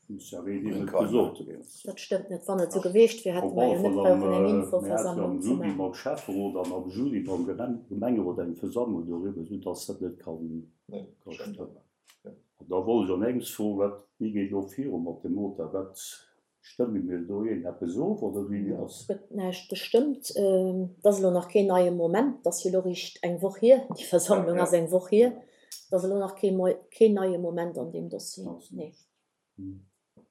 S5: Muss ja ween him et gesot huet.
S1: Dat stëmmt net. Wann et esou geweecht wier, hätte mer jo net brauchen eng
S5: Infoversammlung ze maachen. Mir hate jo am Juli mam Schäfferot an am Juli mam Gemengerot eng Versammlung doriwwer, soudass dat net ka stëmmen. An da wollt ech an engems froen, wat, wéi geet elo viru mat dem Motor? Wat, stëmme mir do iergendeppes of oder wéi ass?
S1: Gëtt näischt gestëmmt. Et ass elo nach keen neie Moment. Et ass jo elo eréischt eng Woch hier, déi Versammlung ass eng Woch hier. Et ass elo nach kee keen neie Moment an deem Dossier, nee.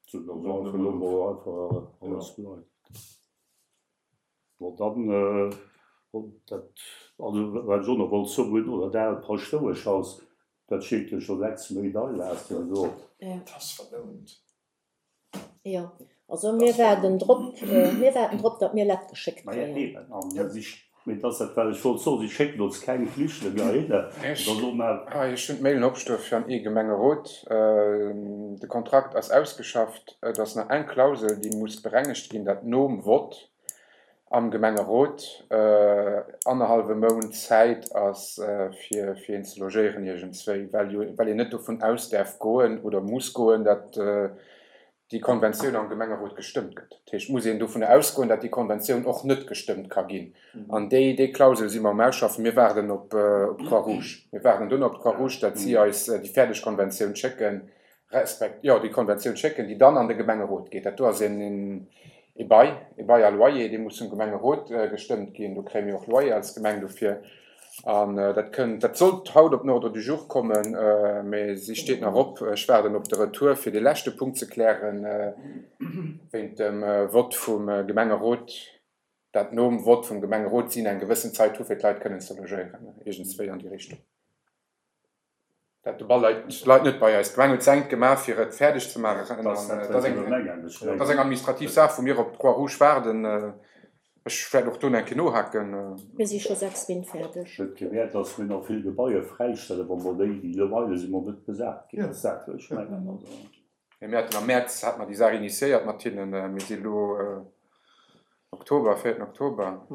S5: Sou, da soll einfach elo mol einfach alles bleiwen. Bon, dann, dat, also wat ech och nach wollt soen, oder dat aalt Paschtoueschhaus, dat steet jo scho 6 Méint eilaass jo do.
S7: Dat ass verlount.
S1: Jo, also mir waarden drop, mir waarden drop, datt mir Lett geschéckt
S5: Maja
S1: kréien.
S5: eben, an si. Mee et ass dat, wat ech wollt soen, si schécken ons keng Flüchtlinge heihinner.
S8: Ech hunn d'Mailen opstoe fir an ee Gemengerot. De Kontrakt ass ausgeschafft. Et ass nach eng Klausel, déi muss berengegt ginn, dat nom Vott am Gemengerot annerhallwe Mount Zäit ass, fir een ze logéieren iergendzwéi, well jo, well een net dovun aus däerf goen oder muss goen, dat déi Konventioun am Gemengerot gestëmmt gëtt. Dat heescht, et muss een dovun ausgoen, datt déi Konventioun och net gestëmmt ka ginn. An déi, déi Klausel si mer um Ausschaffen. Mir waarden op d'Croix-Rouge. Mir waarden duerno op d'Croix-Rouge, datt si eis déi fäerdeg Konventioun schécken, respekt, jo, déi Konventioun schécken, déi dann an de Gemengerot geet. Dat do ass een, ee Bail, ee Bail à loyer, dee muss vum Gemengerot gestëmmt ginn. Do kréie mir och Loyer als Gemeng dofir. An dat kënnt, dat sollt haut op den Ordre du jour kommen, mä si steet nach op. Ech waarden op de Retour, fir dee leschte Punkt ze klären, wéint dem Vott vum Gemengerot, dat nom Vott vum Gemengerot si eng gewëssen Zait hu fir d'Leit kënnen ze logéieren, iergendswéi an déi Richtung. Dat de Ball leit, leit net bei eis. D'Gemeng huet säint gemaach, fir et fäerdeg ze maachen. Dat ass eng, dat ass eng administrativ Saach, wou mir op d'Croix-Rouge waarden. Ech wäert och do nach eng Kéier nohaken.
S1: Mir si scho 6 Min. Fäerdeg.
S5: Et gewäert, dass mir nach vill Gebaier fräistellen, wa mer déi, déi Loyeure si mer net besat ginn. Dat ass dat, wat ech mengen. Also.
S8: Mir haten am Mäerz hate mer déi Saach initiéiert mat hinnen. Mir si elo Oktober, véierten Oktober.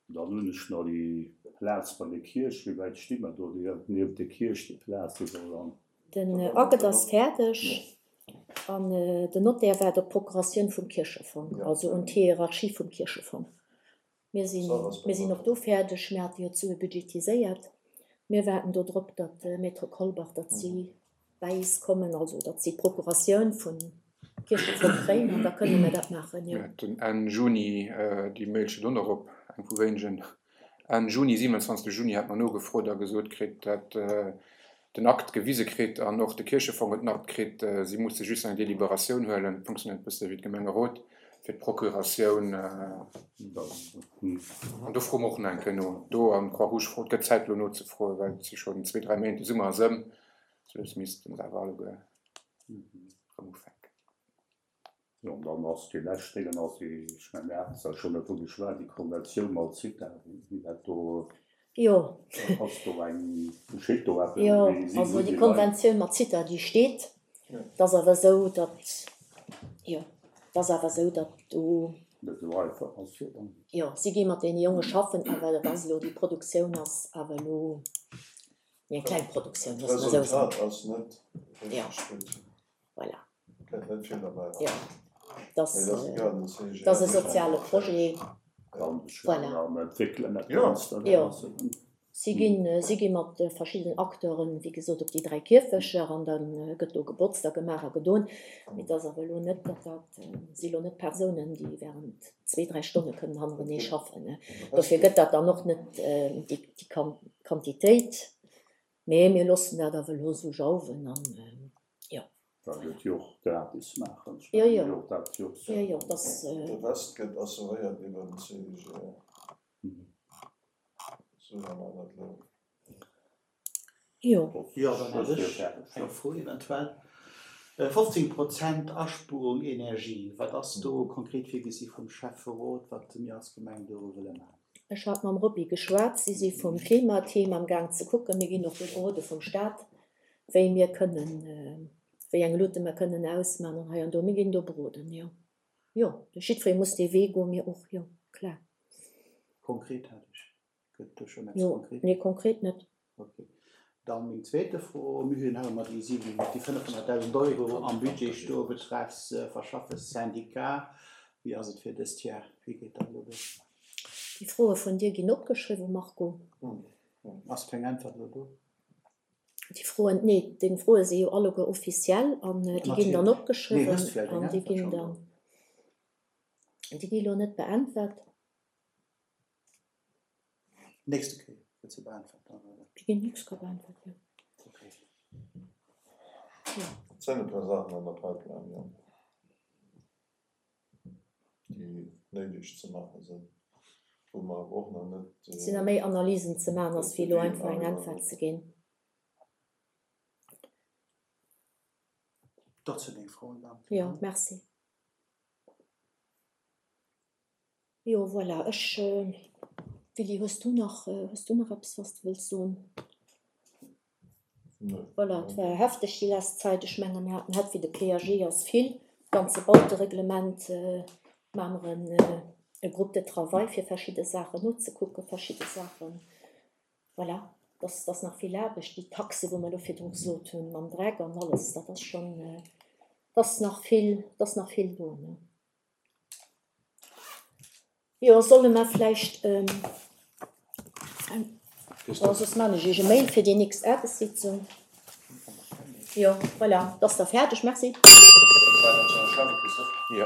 S5: Dann hunn ech nach déi Plaz bei der Kierch. Wéi wäit sti mer do? Déi nieft der Kierch, déi Plaz, déi soll dann.
S1: Den Akt ass fäerdeg an den Notaire waart op d'Procuratioun vum Kierchefong, also un d'Hierarchie vum Kierchefong. Mir sinn, mir sinn och do fäerdeg. Mir hate jo d'Sue budgetiséiert. Mir waarden do drop, datt de Maître Kolbach, datt si bäi is kommen, also datt si d'Procuratioun vum Kierchefong kréien an da kënne mir dat maachen, jo.
S8: Mir haten Enn Juni, déi Mail steet och nach op, eng vu wéinegen, Enn Juni, 27 Juni hate mer nogefrot a gesot kritt, datt den Akt gewise kritt an och de Kierchefong huet den Akt kritt, si musse just eng Deliberatioun huelen, et funktionéiert e bësse wéi d'Gemengerot, fir d'Procuratioun. An do froe mer och nach eng Kéier no. Do an d'Croix-Rouge froen, et gëtt Zäit elo nozefroen, well et si schonn zwee, dräi Méint, de Summer ass ëm, soulass missten se awer alleguer erëm ufänken.
S5: Jo, an dann ass déi lescht Déngen ass déi, ech mengen, mir haten zwar schonn dervu geschwat, déi Konventioun mat Zitha, wéi dat do
S1: Jo.
S5: ass do eng, geschitt do eppes?
S1: Jo, also déi Konventioun mat Zitha, déi steet. Et ass awer esou, datt, jo, et ass awer esou, datt do.
S5: Net esou einfach ass, jo dann.
S1: Jo, si gi mat deene Jonge schaffen, awer et ass elo, déi Produktioun ass awer elo méi eng kleng Produktioun, loosse mer esou soen.
S7: D'Resultat ass net richteg gutt.
S1: Voilà.
S7: Kënnt net vill derbäi
S1: Jo, dass dat ass e soziale Projet. Voilà. Jo, si ginn, si gi mat verschiddenen Acteuren, wéi gesot, op déi 3 Kierfecher an da gëtt do gebotzt a gemaach a gedoen. Mee et ass awer elo net, datt dat si elo net Persounen, déi während zwee, dräi Stonne kënnen hannerenee schaffen. Dofir gëtt dat dann och net déi Quantitéit. Mee mir loossen dat awer elo esou jauwen an jo.
S5: Well et jo och gratis maachen.
S1: Jo, jo. Jo, jo, dass.
S7: De Rest gëtt assuréiert iwwer den CIGL. Esou hu mer dat elo.
S1: Jo.
S2: Jo, dann hätt ech eng Fro eventuell. 15 Prozent Aspuerung Energie, wat ass do konkret virgesi vum Schäfferot, wat mir als Gemeng do wëlle maachen?
S1: Ech hat mam Roby geschwat, si si vum Klimateam am Gaang ze kucken. Mir ginn och do berode vum Staat, wéi mir kënnen, wéi eng Lutte mer kënnen ausmachen an hei an do. Mir ginn do beroden, jo. Jo, jiddweree muss dee Wee goen, mir och, jo, klar.
S2: Konkret hat ech, gëtt do schonn eppes
S1: Jo,
S2: konkret?
S1: nee, konkret net.
S2: Ok. Dann meng zweete Fro, Mir hunn nach ëmmer déi 7, déi 500.000 Euro am Budget stoe betreffs Verschaffes Syndicat. Wéi ass et fir dëst Jar? Wéi geet dat elo do?
S1: Déi Froe vun dir ginn opgeschriwwen, Marco.
S2: Ass keng Äntwert elo do?
S1: Déi Froen, nee, deng Froe si jo alleguer officiell an déi ginn dann opgeschriwwen an déi ginn dann, déi gi lo net beäntwert.
S2: Nächste Kéier gëtt se beäntwert dann, oder?
S1: Déi ginn nächst Kéier beäntwert, jo.
S2: Okay.
S1: Jo.
S7: Et sinn e puer Saachen an der Pipeline, jo. déi néideg ze maache sinn, wou mer awer och nach net.
S1: Et sinn nach méi Analysen ze maachen, ass wéi elo einfach eng Äntwert ze ginn.
S2: Dat sinn meng Froen dann.
S1: Jo, merci. Jo, voilà, ech, Willy, hues du nach, hues du nach eppes, wat s de wëlls soen? Voilà, et war hefteg déi lescht Zäit. Ech menge mir haten het wéi de PAG ass vill, d'ganze Bautereglement, maache mer en e Groupe de travail fir verschidde Saachen nozekucken, verschidde Saachen, voilà, dass ass nach vill Aarbecht. Déi Taxe wou mer elo virdru gesot hunn mam Dreck an alles, dat ass schonn, dass nach vill, dass nach vill do, ne. Jo, solle mer vläicht, oh, soss maan ech iech e Mail fir déi nächst Aarbechtssitzung. Jo, voilà, et ass da fäerdeg. Merci.
S7: Jo.